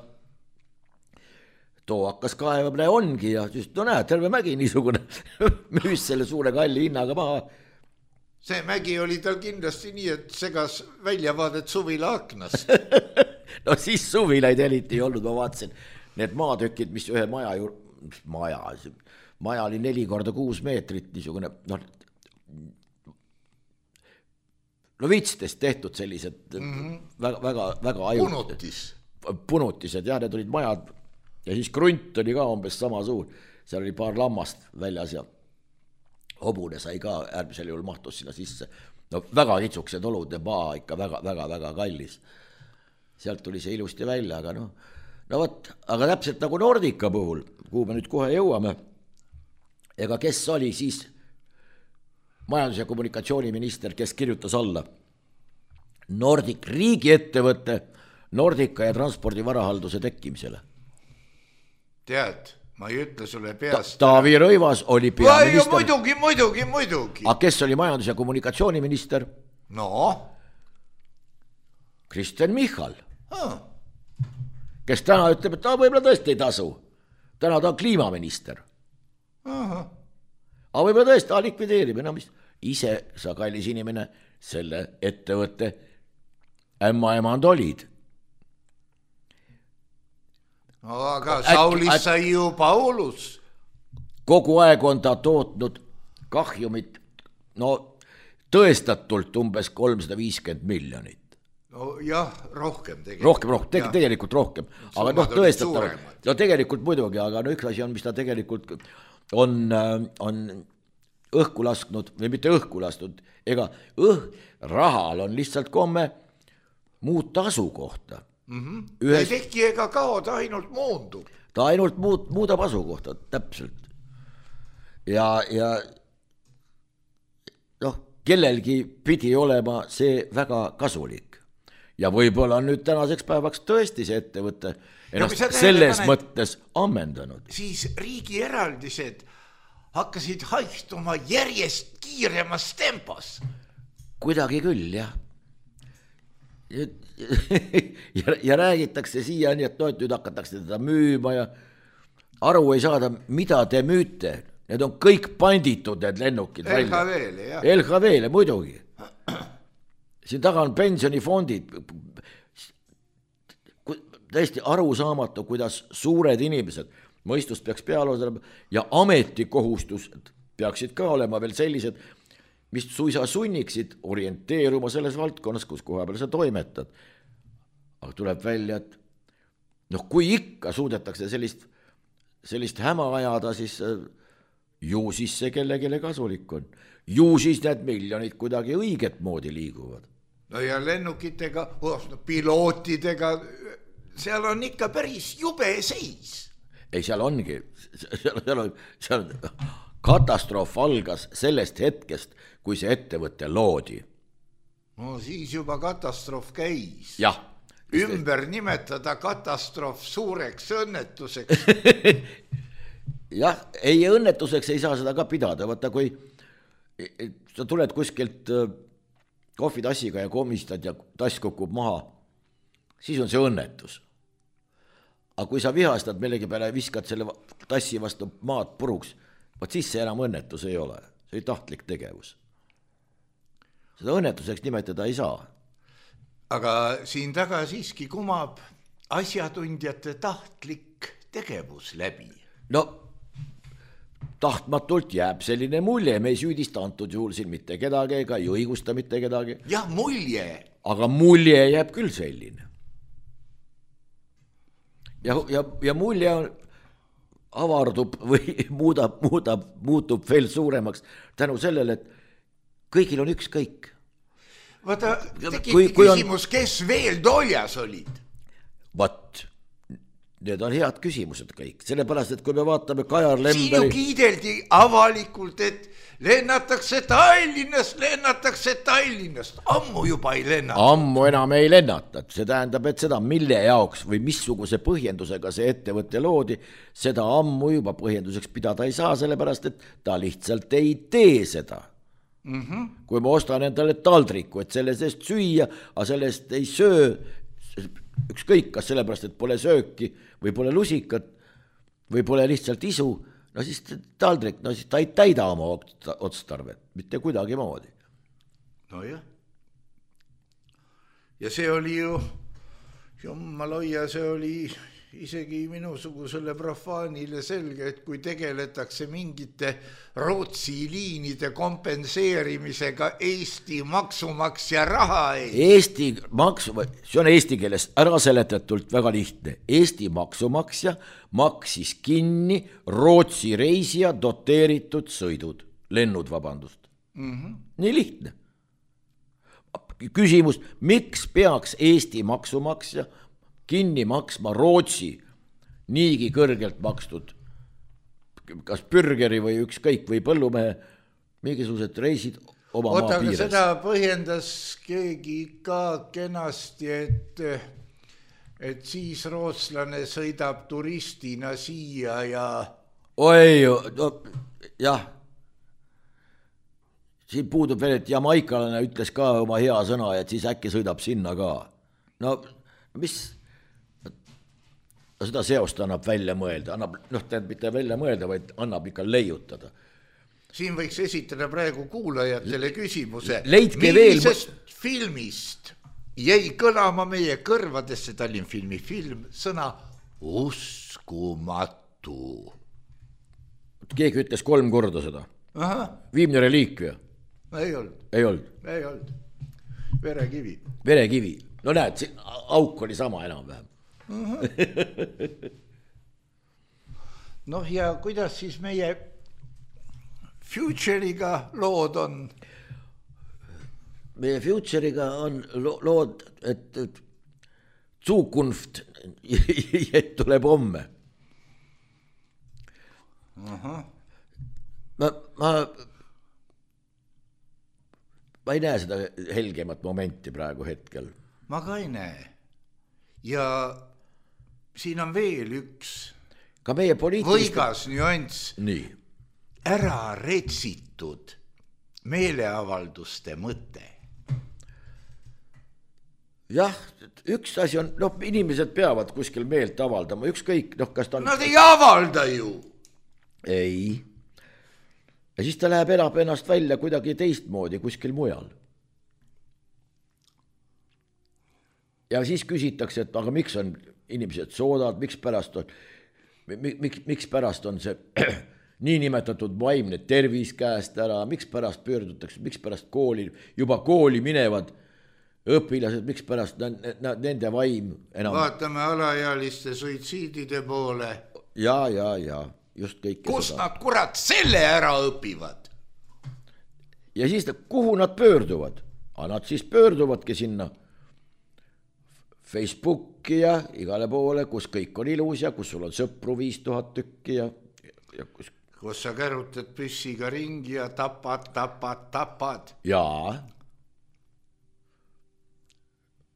too hakkas kaevamine ongi ja siis, no näed, terve mägi niisugune müüs selle suure kalli hinnaga maha. See mägi oli tal kindlasti nii, et segas väljavaadet suvila aknast. No siis suvilaid eriti ei olnud, ma vaatasin, need maatükid, mis ühe maja juur... maja, maja oli neli korda kuus meetrit, niisugune, noh, no vitstest tehtud sellised mm-hmm. väga, väga, väga aju. Punutis. Punutised, jah, need olid majad ja siis krunt oli ka umbes sama suur, seal oli paar lammast väljas ja hobune sai ka äärmisel juhul mahtus sinna sisse. No väga kitsuksed olud ja maa ikka väga, väga, väga kallis. Sealt tuli see ilusti välja, aga no, no võt, aga täpselt nagu Nordica puhul, kuhu me nüüd kohe jõuame, ega kes oli siis majandus- ja kommunikatsiooniminister, kes kirjutas alla Nordic riigiettevõtte Nordica ja transpordivarahalduse tekkimisele? Tead, ma ei ütle sulle peast. Ta, Taavi Rõivas oli peaminister. Muidugi, muidugi, muidugi. Aga kes oli majandus- ja kommunikatsiooniminister? No? Kristen Michal. Ah. Kes täna ütleb, et ta võib-olla tõesti ei tasu. Täna ta on kliimaminister. Aha. Aga võib-olla tõesti ta likvideerib. No, mis? Ise sa, kallis inimene, selle ettevõtte ämma emand olid. No, aga Saulis sai ju Paulus. Kogu aeg on ta tootnud kahjumit, no tõestatult umbes kolmsada viiskümmend miljonit. No jah, rohkem tegelikult. Rohkem, rohkem, te- tegelikult rohkem. Aga noh, tõestatavalt, no tegelikult muidugi, aga no üks asi on, mis ta tegelikult on, on õhku lasknud, või mitte õhku lasknud, ega õh, rahal on lihtsalt komme muuta asukohta. Mm-hmm. Ühes... ei tehki ega kao, ta ainult moondub. Ta ainult muud, muudab asukohta, täpselt. Ja, ja noh, kellelgi pidi olema see väga kasulik. Ja võib-olla on nüüd tänaseks päevaks tõesti see ettevõte ennast no, selles panet, mõttes ammendanud. Siis riigi eraldised hakkasid haistuma järjest kiiremas tempos. Kuidagi küll, jah. Ja, ja, ja räägitakse siiani, et no, et nüüd hakatakse teda müüma ja aru ei saada, mida te müüte. Need on kõik panditud, need lennukid. L H V-le, jah. L H V-le, muidugi. Siin taga on pensionifondid. Täiesti aru saamatu, kuidas suured inimesed, mõistust peaks peal olema ja ametikohustused peaksid ka olema veel sellised, mis suisa sunniksid orienteeruma selles valdkonnas, kus koha peal sa toimetad. Aga tuleb välja, et noh, kui ikka suudetakse sellist, sellist häma ajada, siis ju siis see kellegile kasulik on. Ju siis need miljonid kuidagi õiget moodi liiguvad. No ja lennukitega, pilootidega, seal on ikka päris jube seis. Ei, seal ongi, seal, seal on, seal on katastroof algas sellest hetkest, kui see ettevõte loodi. No siis juba katastroof käis. Jah. Ümber nimetada katastroof suureks õnnetuseks. Jah, ei õnnetuseks ei saa seda ka pidada. Vaata, kui sa tuled kuskilt kohvitassiga ja komistad ja tass kukub maha, siis on see õnnetus. Aga kui sa vihastad millegi peale ja viskad selle tassi vastu maad puruks, vaat siis see enam õnnetus ei ole. See oli tahtlik tegevus. Seda õnnetuseks nimetada ei saa. Aga siin taga siiski kumab asjatundjate tahtlik tegevus läbi. No, tahtmatult jääb selline mulje, me ei süüdista antud juhul siin mitte kedagi ega ei õigusta mitte kedagi. Jah, mulje. Aga mulje jääb küll selline. Ja, ja, ja mulje on, avardub või muudab, muudab, muutub veel suuremaks tänu sellele, et kõigil on ükskõik. Vaata, tekib kui, kui küsimus, on... kes veel toljas olid? Vat, need on head küsimused kõik, sellepärast, et kui me vaatame Kajar Lemberi... Siin ju kiideldi avalikult, et lennatakse Tallinnast, lennatakse Tallinnast, ammu juba ei lennata. Ammu enam ei lennata, see tähendab, et seda mille jaoks või missuguse põhjendusega see ettevõtte loodi, seda ammu juba põhjenduseks pidada ei saa, sellepärast, et ta lihtsalt ei tee seda. Mm-hmm. Kui ma ostan endale taldriku, et selle seest süüa, aga sellest ei söö, ükskõik kas sellepärast, et pole sööki või pole lusikat või pole lihtsalt isu, no siis taldrik, no siis ta ei täida oma otstarvet, mitte kuidagi moodi. No jah. Ja see oli ju, jummaloia, see oli isegi minusugusele profaanile selge, et kui tegeletakse mingite Rootsi liinide kompenseerimisega Eesti maksumaksja raha ei. Eesti maksu, see on eesti keeles ära seletatult väga lihtne. Eesti maksumaksja maksis kinni Rootsi reisija doteeritud sõidud, lennud, vabandust. Mm-hmm. Nii lihtne. Küsimus, miks peaks Eesti maksumaksja kinni maksma Rootsi niigi kõrgelt makstud, kas pürgeri või ükskõik või põllumehe mingisugused reisid oma Oota, maa piires. Seda põhjendas keegi ka kenasti, et, et siis rootslane sõidab turistina siia ja... Oi, no, jah. Siin puudub veel, et jamaikalane ütles ka oma hea sõna, et siis äkki sõidab sinna ka. No, mis... seda seost annab välja mõelda, annab, noh, tähendab mitte välja mõelda, vaid annab ikka leiutada. Siin võiks esitada praegu kuulajatele küsimuse. Leidke millisest veel... filmist jäi kõlama meie kõrvadesse Tallinn filmi film sõna uskumatu? Keegi ütles kolm korda seda. Aha. Viimne reliikvia. Ei olnud. Ei olnud. Ei olnud. Verekivi. Verekivi. No näed, siin auk oli sama enam vähem. noh ja kuidas siis meie Future'iga lood on? Meie Future'iga on lo- lood, et, et Zukunft tuleb homme. Aha. Ma, ma, ma ei näe seda helgemat momenti praegu hetkel. Ma ka ei näe. Ja siin on veel üks ka meie poliitilist... võigas nüanss. Nii. Ära retsitud meeleavalduste mõte. Jah, üks asi on, noh, inimesed peavad kuskil meelt avaldama, ükskõik, noh, kas ta on... Nad ei avalda ju. Ei. Ja siis ta läheb elab ennast välja kuidagi teistmoodi kuskil mujal. Ja siis küsitakse, et aga miks on inimesed soodad, miks pärast on, miks, miks pärast on see niinimetatud vaimne tervis käest ära, miks pärast pöördutakse, miks pärast kooli, juba kooli minevad õpilased, miks pärast nende vaim enam... Vaatame alaealiste suitsiidide poole. Ja, ja, ja, just kõik. Kus seda. Nad kurat selle ära õpivad? Ja siis, kuhu nad pöörduvad? Aga nad siis pöörduvadki sinna Facebooki ja igale poole, kus kõik on ilus ja kus sul on sõpru viis tuhat tükki ja, ja kus... kus sa kärutad püssiga ringi ja tapad, tapad, tapad. Jaa.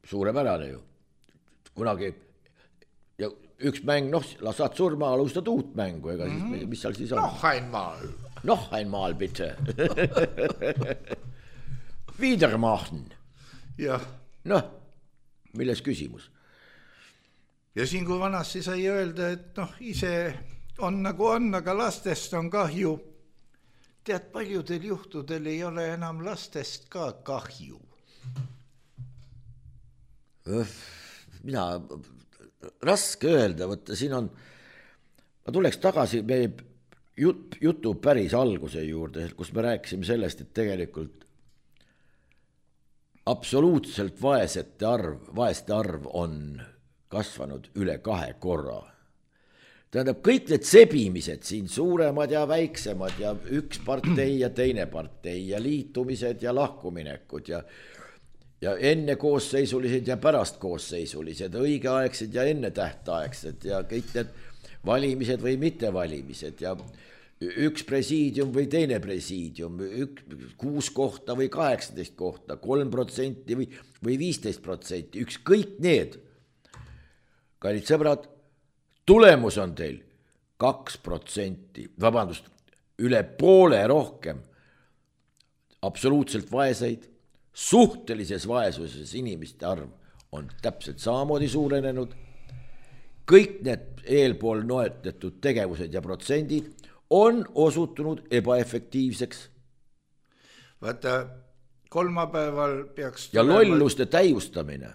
Suurepärane ju. Kunagi ja üks mäng, noh, saad surma, alustad uut mängu, ega siis, mm-hmm. mis seal siis on? Noh, einmal. Noh, einmal, bitte. Wiedermachen. Jah. Noh, milles küsimus? Ja siin kui vanasti sai öelda, et noh, ise on nagu on, aga lastest on kahju. Tead, paljudel juhtudel ei ole enam lastest ka kahju. Mina, raske öelda, võtta, siin on, ma tuleks tagasi meie jut, jutu päris alguse juurde, kus me rääkisime sellest, et tegelikult absoluutselt vaesete arv, vaeste arv on kasvanud üle kahe korra. tähendab, kõik need sebimised siin, suuremad ja väiksemad ja üks partei ja teine partei ja liitumised ja lahkuminekud ja ja enne koosseisulised ja pärast koosseisulised, õigeaegsed ja enne tähtaegsed ja kõik need valimised või mittevalimised ja üks presiidium või teine presiidium, üks, kuus kohta või kaheksateist kohta, kolm protsenti või, või viisteist protsenti, üks kõik need. Kallid sõbrad, tulemus on teil kaks protsenti, vabandust, üle poole rohkem absoluutselt vaeseid, suhtelises vaesuses inimeste arv on täpselt samamoodi suurenenud. Kõik need eelpool noetatud tegevused ja protsendid on osutunud ebaefektiivseks. Vaata, kolmapäeval peaks... Ja lolluste täiustamine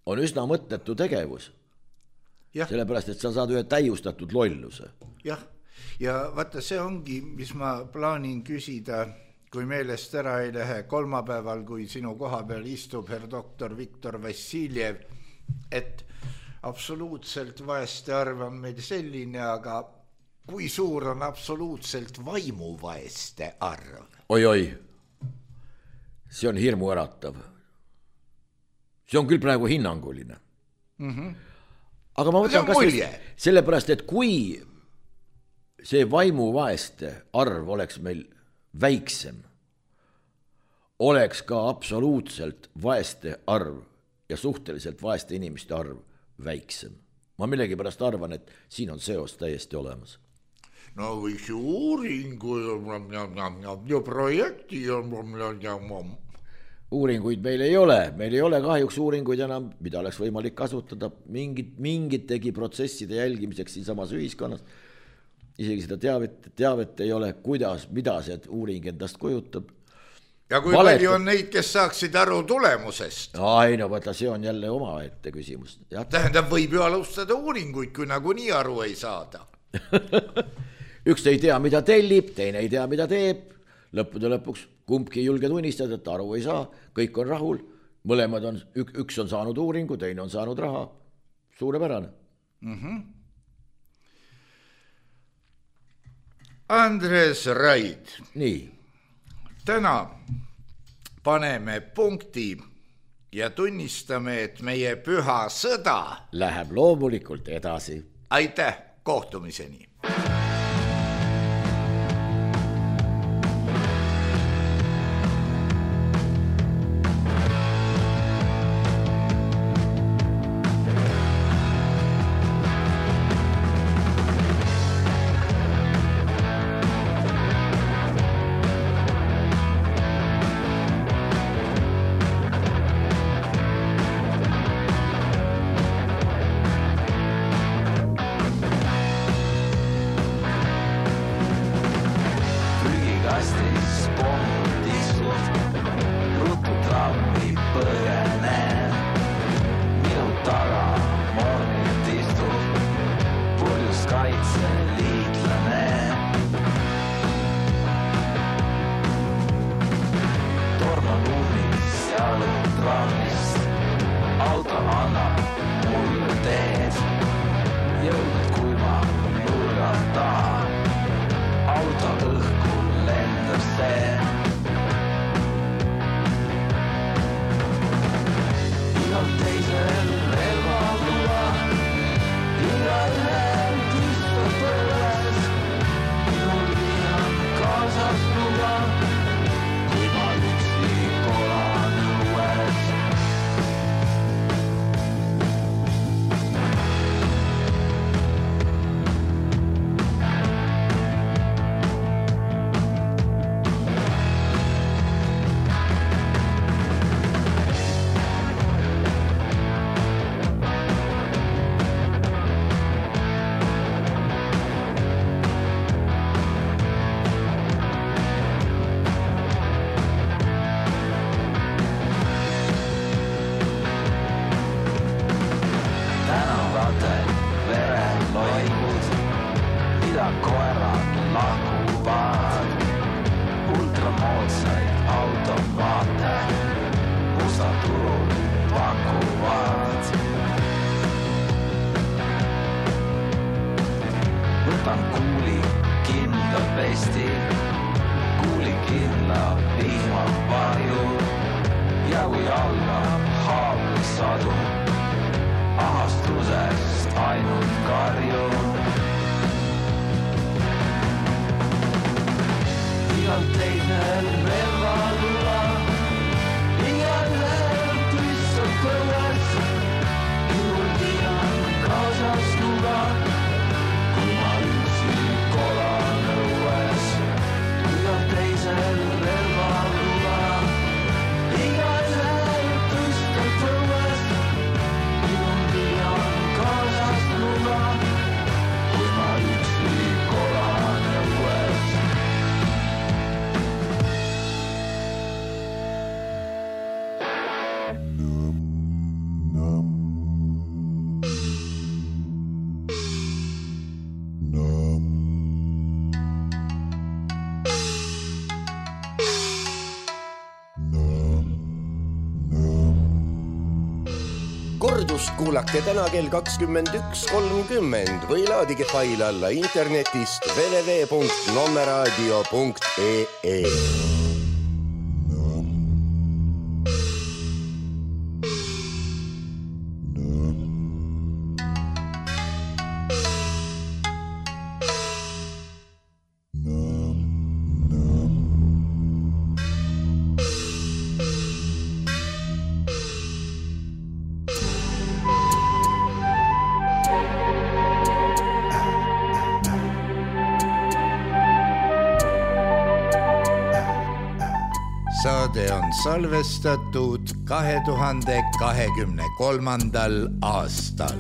on üsna mõttetu tegevus. Ja. Sellepärast, et sa saad ühe täiustatud lolluse. Jah, ja vaata, see ongi, mis ma plaanin küsida, kui meelest ära ei lähe kolmapäeval, kui sinu koha peal istub herr doktor Viktor Vassiljev, et absoluutselt vaeste arv on meil selline, aga kui suur on absoluutselt vaimuvaeste arv? Oi-oi, see on hirmu äratav. See on küll praegu hinnanguline. Mm-hmm. Aga ma võtan kas või sellepärast, et kui see vaimuvaeste arv oleks meil väiksem, oleks ka absoluutselt vaeste arv ja suhteliselt vaeste inimeste arv väiksem. Ma millegi pärast arvan, et siin on seos täiesti olemas. No võiks ju uuringu ja projekti ja... Uuringuid meil ei ole, meil ei ole kahjuks uuringuid enam, mida oleks võimalik kasutada mingit, mingitegi protsesside jälgimiseks siin samas ühiskonnas. Isegi seda teavet, teavet ei ole, kuidas, mida see uuring endast kujutab. Ja kui Valet... palju on neid, kes saaksid aru tulemusest? Ai, no võtta, see on jälle oma ette küsimus. Ja. Tähendab, võib ju alustada uuringuid, kui nagu nii aru ei saada. Üks ei tea, mida tellib, teine ei tea, mida teeb. Lõppude lõpuks kumbki ei julge tunnistada, et aru ei saa, kõik on rahul, mõlemad on, üks on saanud uuringu, teine on saanud raha. Suurepärane. Mm-hmm. Andres Raid. Nii. Täna paneme punkti ja tunnistame, et meie püha sõda läheb loomulikult edasi. Aitäh, kohtumiseni. lendab pesti, kuulik kirlab vihmavarju ja kui algab haavlik sadu, ahastusest ainult karjun. Igal teisel relvaluva, igal läheb tüssalt õues, juhul tiian kaasas nuga, kui ma üksi kolan õues. Igal teisel relvaluva, igal läheb tüssalt õues, juhul tiian kaasas nuga, kui ma üksi kolan õues. Kordust kuulake täna kell kakskümmend üks kolmkümmend või laadige fail alla internetist w w w punkt nommeradio punkt e e. Saade on salvestatud kahe tuhande kahekümne kolmandal aastal.